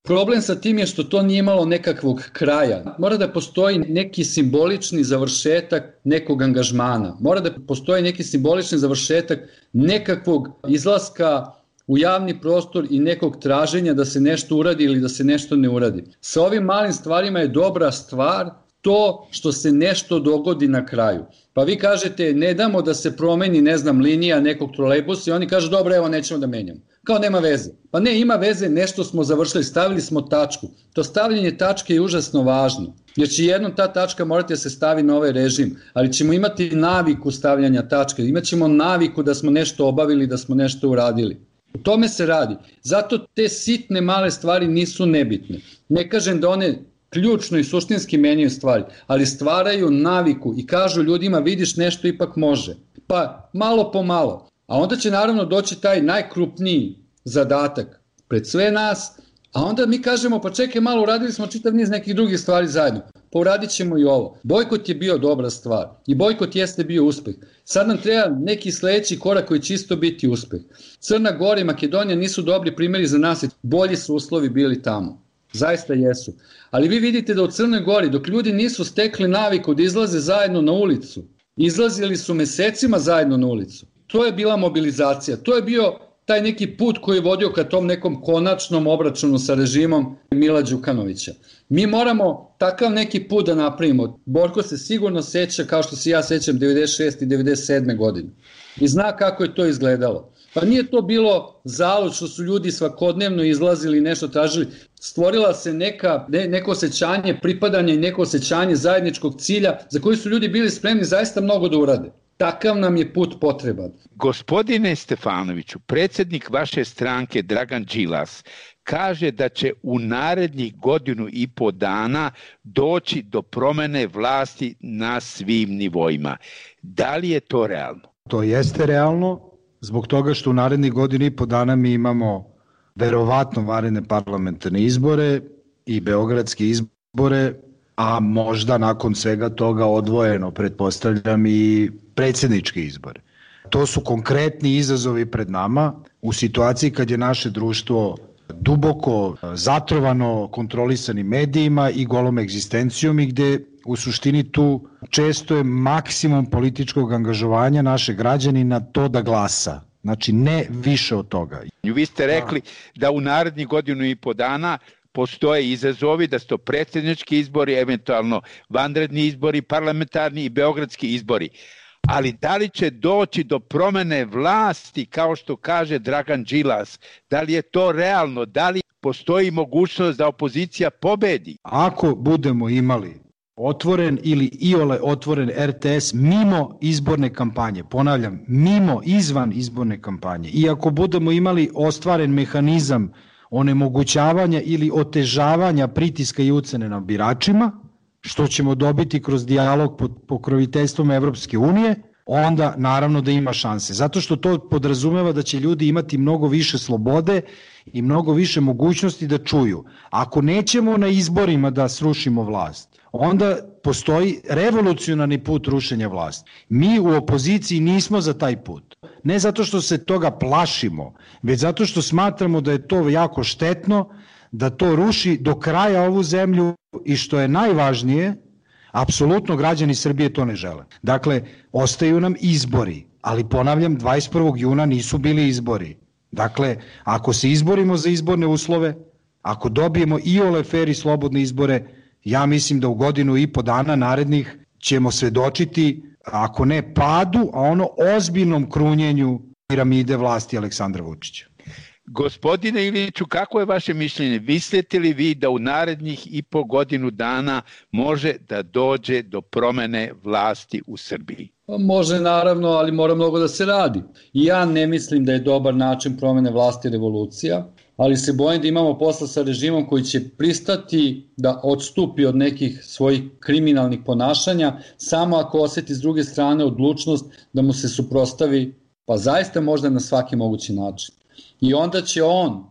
Speaker 18: Problem sa tim je što to nije imalo nekakvog kraja. Mora da postoji neki simbolični završetak nekog angažmana. Mora da postoji neki simbolični završetak nekakvog izlaska u javni prostor i nekog traženja da se nešto uradi ili da se nešto ne uradi. Sa ovim malim stvarima je dobra stvar to što se nešto dogodi na kraju. Pa vi kažete ne damo da se promeni, ne znam, linija nekog trolejbusa i oni kažu dobro, evo nećemo da menjamo. Kao nema veze. Pa ne, ima veze, nešto smo završili, stavili smo tačku. To stavljanje tačke je užasno važno, jer će jednom ta tačka morati da se stavi na ovaj režim, ali ćemo imati naviku stavljanja tačke, imaćemo naviku da smo nešto obavili, da smo nešto uradili. O tome se radi. Zato te sitne male stvari nisu nebitne. Ne kažem da one ključno i suštinski menjaju stvari, ali stvaraju naviku i kažu ljudima vidiš nešto ipak može. Pa malo po malo. A onda će naravno doći taj najkrupniji zadatak pred sve nas, a onda mi kažemo pa čekaj malo, uradili smo čitav niz nekih drugih stvari zajedno, pa uradit ćemo i ovo. Bojkot je bio dobra stvar i bojkot jeste bio uspeh. Sad nam treba neki sledeći korak koji će isto biti uspeh. Crna Gora i Makedonija nisu dobri primjeri za nas, bolji su uslovi bili tamo. Zaista jesu. Ali vi vidite da u Crnoj Gori, dok ljudi nisu stekli naviku da izlaze zajedno na ulicu, izlazili su mesecima zajedno na ulicu. To je bila mobilizacija, to je bio taj neki put koji je vodio ka tom nekom konačnom obračunu sa režimom Mila Đukanovića. Mi moramo takav neki put da napravimo. Borko se sigurno seća, kao što se ja sećam, devedeset šeste i devedeset sedme godine. I zna kako je to izgledalo. Pa nije to bilo zalud što su ljudi svakodnevno izlazili i nešto tražili. Stvorila se neka, ne, neko osjećanje pripadanja i neko osjećanje zajedničkog cilja za koji su ljudi bili spremni zaista mnogo da urade. Takav nam je put potreban.
Speaker 17: Gospodine Stefanoviću, predsjednik vaše stranke Dragan Đilas kaže da će u narednih godinu i po dana doći do promene vlasti na svim nivoima. Da li je to realno?
Speaker 19: To jeste realno, zbog toga što u narednih godinu i po dana mi imamo verovatno vanredne parlamentarne izbore i beogradske izbore, a možda nakon svega toga odvojeno, pretpostavljam, i predsjedničke izbore. To su konkretni izazovi pred nama u situaciji kad je naše društvo duboko zatrovano kontrolisanim medijima i golom egzistencijom i gde u suštini tu često je maksimum političkog angažovanja naše građanina to da glasa. Znači ne više od toga.
Speaker 17: Vi ste rekli da u narednih godinu i po dana postoje izazovi, da su to predsjednički izbori, eventualno vanredni izbori, parlamentarni i beogradski izbori. Ali da li će doći do promene vlasti, kao što kaže Dragan Đilas? Da li je to realno? Da li postoji mogućnost da opozicija pobedi?
Speaker 19: Ako budemo imali otvoren ili iole otvoren er te es mimo izborne kampanje, ponavljam, mimo, izvan izborne kampanje, i ako budemo imali ostvaren mehanizam onemogućavanja ili otežavanja pritiska i ucene na biračima, što ćemo dobiti kroz dijalog pod pokroviteljstvom Evropske unije, onda naravno da ima šanse. Zato što to podrazumeva da će ljudi imati mnogo više slobode i mnogo više mogućnosti da čuju. Ako nećemo na izborima da srušimo vlast, onda postoji revolucionarni put rušenja vlasti. Mi u opoziciji nismo za taj put. Ne zato što se toga plašimo, već zato što smatramo da je to jako štetno, da to ruši do kraja ovu zemlju i što je najvažnije, apsolutno građani Srbije to ne žele. Dakle, ostaju nam izbori, ali ponavljam, dvadeset prvog juna nisu bili izbori. Dakle, ako se izborimo za izborne uslove, ako dobijemo i ole fer i slobodne izbore, ja mislim da u godinu i po dana narednih ćemo svedočiti, ako ne padu, a ono ozbiljnom krunjenju piramide vlasti Aleksandra Vučića.
Speaker 17: Gospodine Iliću, kako je vaše mišljenje? Mislite li vi da u narednih i po godinu dana može da dođe do promene vlasti u Srbiji?
Speaker 18: Može naravno, ali mora mnogo da se radi. Ja ne mislim da je dobar način promene vlasti revolucija, ali se bojim da imamo posla sa režimom koji će pristati da odstupi od nekih svojih kriminalnih ponašanja samo ako oseti s druge strane odlučnost da mu se suprotstavi, pa zaista možda na svaki mogući način. I onda će on,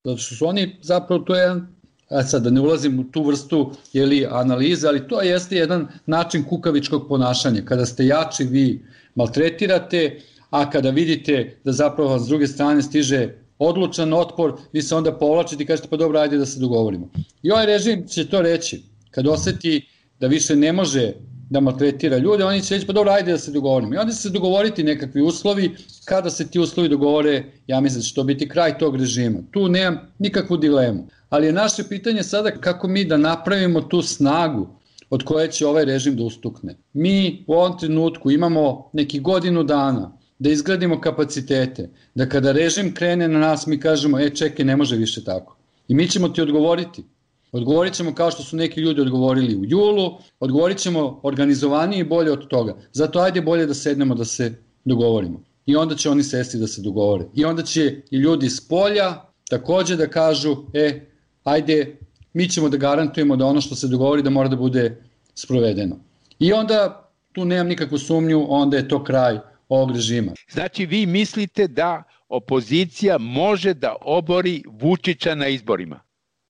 Speaker 18: zato što su oni zapravo, to je jedan, a sad da ne ulazim u tu vrstu jeli, analize, ali to jeste jedan način kukavičkog ponašanja. Kada ste jači, vi maltretirate, a kada vidite da zapravo s druge strane stiže odlučan otpor, vi se onda povlačite i kažete pa dobro, ajde da se dogovorimo. I ovaj režim će to reći, kad oseti da više ne može da maltretira ljude, oni će reći pa dobro, ajde da se dogovorimo. I onda će se dogovoriti nekakvi uslovi, kada se ti uslovi dogovore, ja mislim da će to biti kraj tog režima. Tu nemam nikakvu dilemu. Ali je naše pitanje sada kako mi da napravimo tu snagu od koje će ovaj režim da ustukne. Mi u ovom trenutku imamo neki godinu dana da izgradimo kapacitete, da kada režim krene na nas mi kažemo, e čekaj, ne može više tako. I mi ćemo ti odgovoriti. Odgovorit ćemo kao što su neki ljudi odgovorili u julu, odgovorit ćemo organizovanije i bolje od toga. Zato ajde bolje da sednemo da se dogovorimo. I onda će oni sesti da se dogovore. I onda će i ljudi s polja takođe da kažu, e, ajde, mi ćemo da garantujemo da ono što se dogovori da mora da bude sprovedeno. I onda, tu nemam nikakvu sumnju, onda je to kraj ovog režima.
Speaker 17: Znači, vi mislite da opozicija može da obori Vučića na izborima?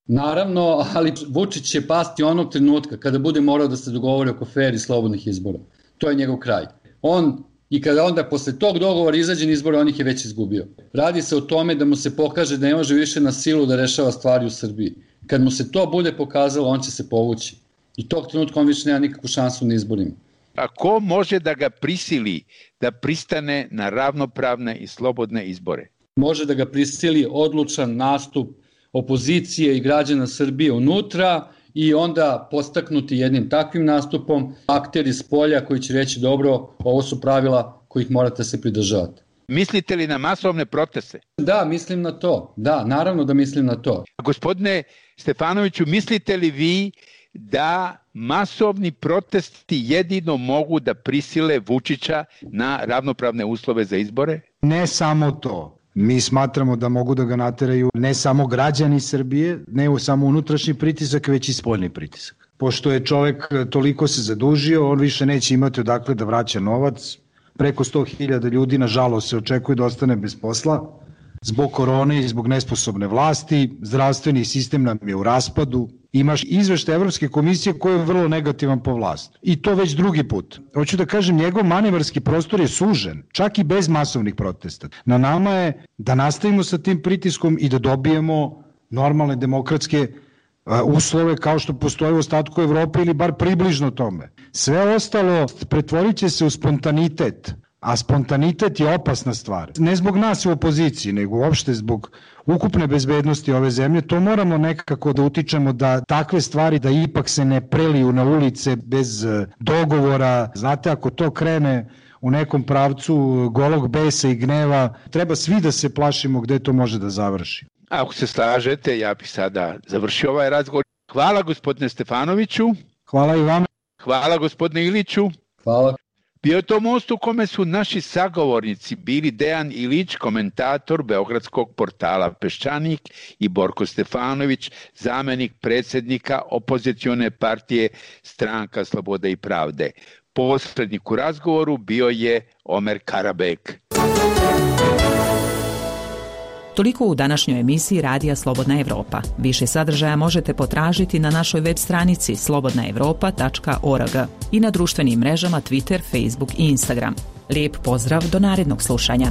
Speaker 18: Naravno, ali Vučić će pasti onog trenutka kada bude morao da se dogovori oko fer i slobodnih izbora. To je njegov kraj. On, i kada onda posle tog dogovora izađe na izbore, on ih je već izgubio. Radi se o tome da mu se pokaže da ne može više na silu da rešava stvari u Srbiji. Kad mu se to bude pokazalo, on će se povući. I tog trenutka on više nema nikakvu šansu na izborima.
Speaker 17: A ko može da ga prisili da pristane na ravnopravne i slobodne izbore?
Speaker 18: Može da ga prisili odlučan nastup opozicije i građana Srbije unutra i onda postaknuti jednim takvim nastupom akteri s polja koji će reći dobro, ovo su pravila kojih morate se pridržavati.
Speaker 17: Mislite li na masovne proteste?
Speaker 18: Da, mislim na to. Da, naravno da mislim na to.
Speaker 17: Gospodine Stefanoviću, mislite li vi da masovni protesti jedino mogu da prisile Vučića na ravnopravne uslove za izbore?
Speaker 19: Ne samo to. Mi smatramo da mogu da ga nateraju ne samo građani Srbije, ne samo unutrašnji pritisak, već i spoljni pritisak. Pošto je čovek toliko se zadužio, on više neće imati odakle da vraća novac. Preko sto hiljada ljudi, nažalost, se očekuje da ostane bez posla zbog korone i zbog nesposobne vlasti. Zdravstveni sistem nam je u raspadu. Imaš izveštaj Evropske komisije koji je vrlo negativan po vlast. I to već drugi put. Hoću da kažem, njegov manevarski prostor je sužen, čak i bez masovnih protesta. Na nama je da nastavimo sa tim pritiskom i da dobijemo normalne demokratske uslove kao što postoje u ostatku Evrope ili bar približno tome. Sve ostalo pretvorit će se u spontanitet, a spontanitet je opasna stvar. Ne zbog nas u opoziciji, nego uopšte zbog ukupne bezbednosti ove zemlje. To moramo nekako da utičemo da takve stvari da ipak se ne preliju na ulice bez dogovora. Znate, ako to krene u nekom pravcu golog besa i gneva, treba svi da se plašimo gde to može da završi.
Speaker 17: Ako se slažete, ja bih sada završio ovaj razgovor. Hvala gospodine Stefanoviću.
Speaker 19: Hvala i vama.
Speaker 17: Hvala gospodine Iliću.
Speaker 18: Hvala.
Speaker 17: Bio je to most u kome su naši sagovornici bili Dejan Ilić, komentator beogradskog portala Peščanik, i Borko Stefanović, zamenik predsjednika opozicione partije Stranka slobode i pravde. Posrednik u razgovoru bio je Omer Karabek.
Speaker 16: Toliko u današnjoj emisiji Radija Slobodna Evropa. Više sadržaja možete potražiti na našoj web stranici slobodna evropa tačka org i na društvenim mrežama Twitter, Facebook i Instagram. Lijep pozdrav do narednog slušanja.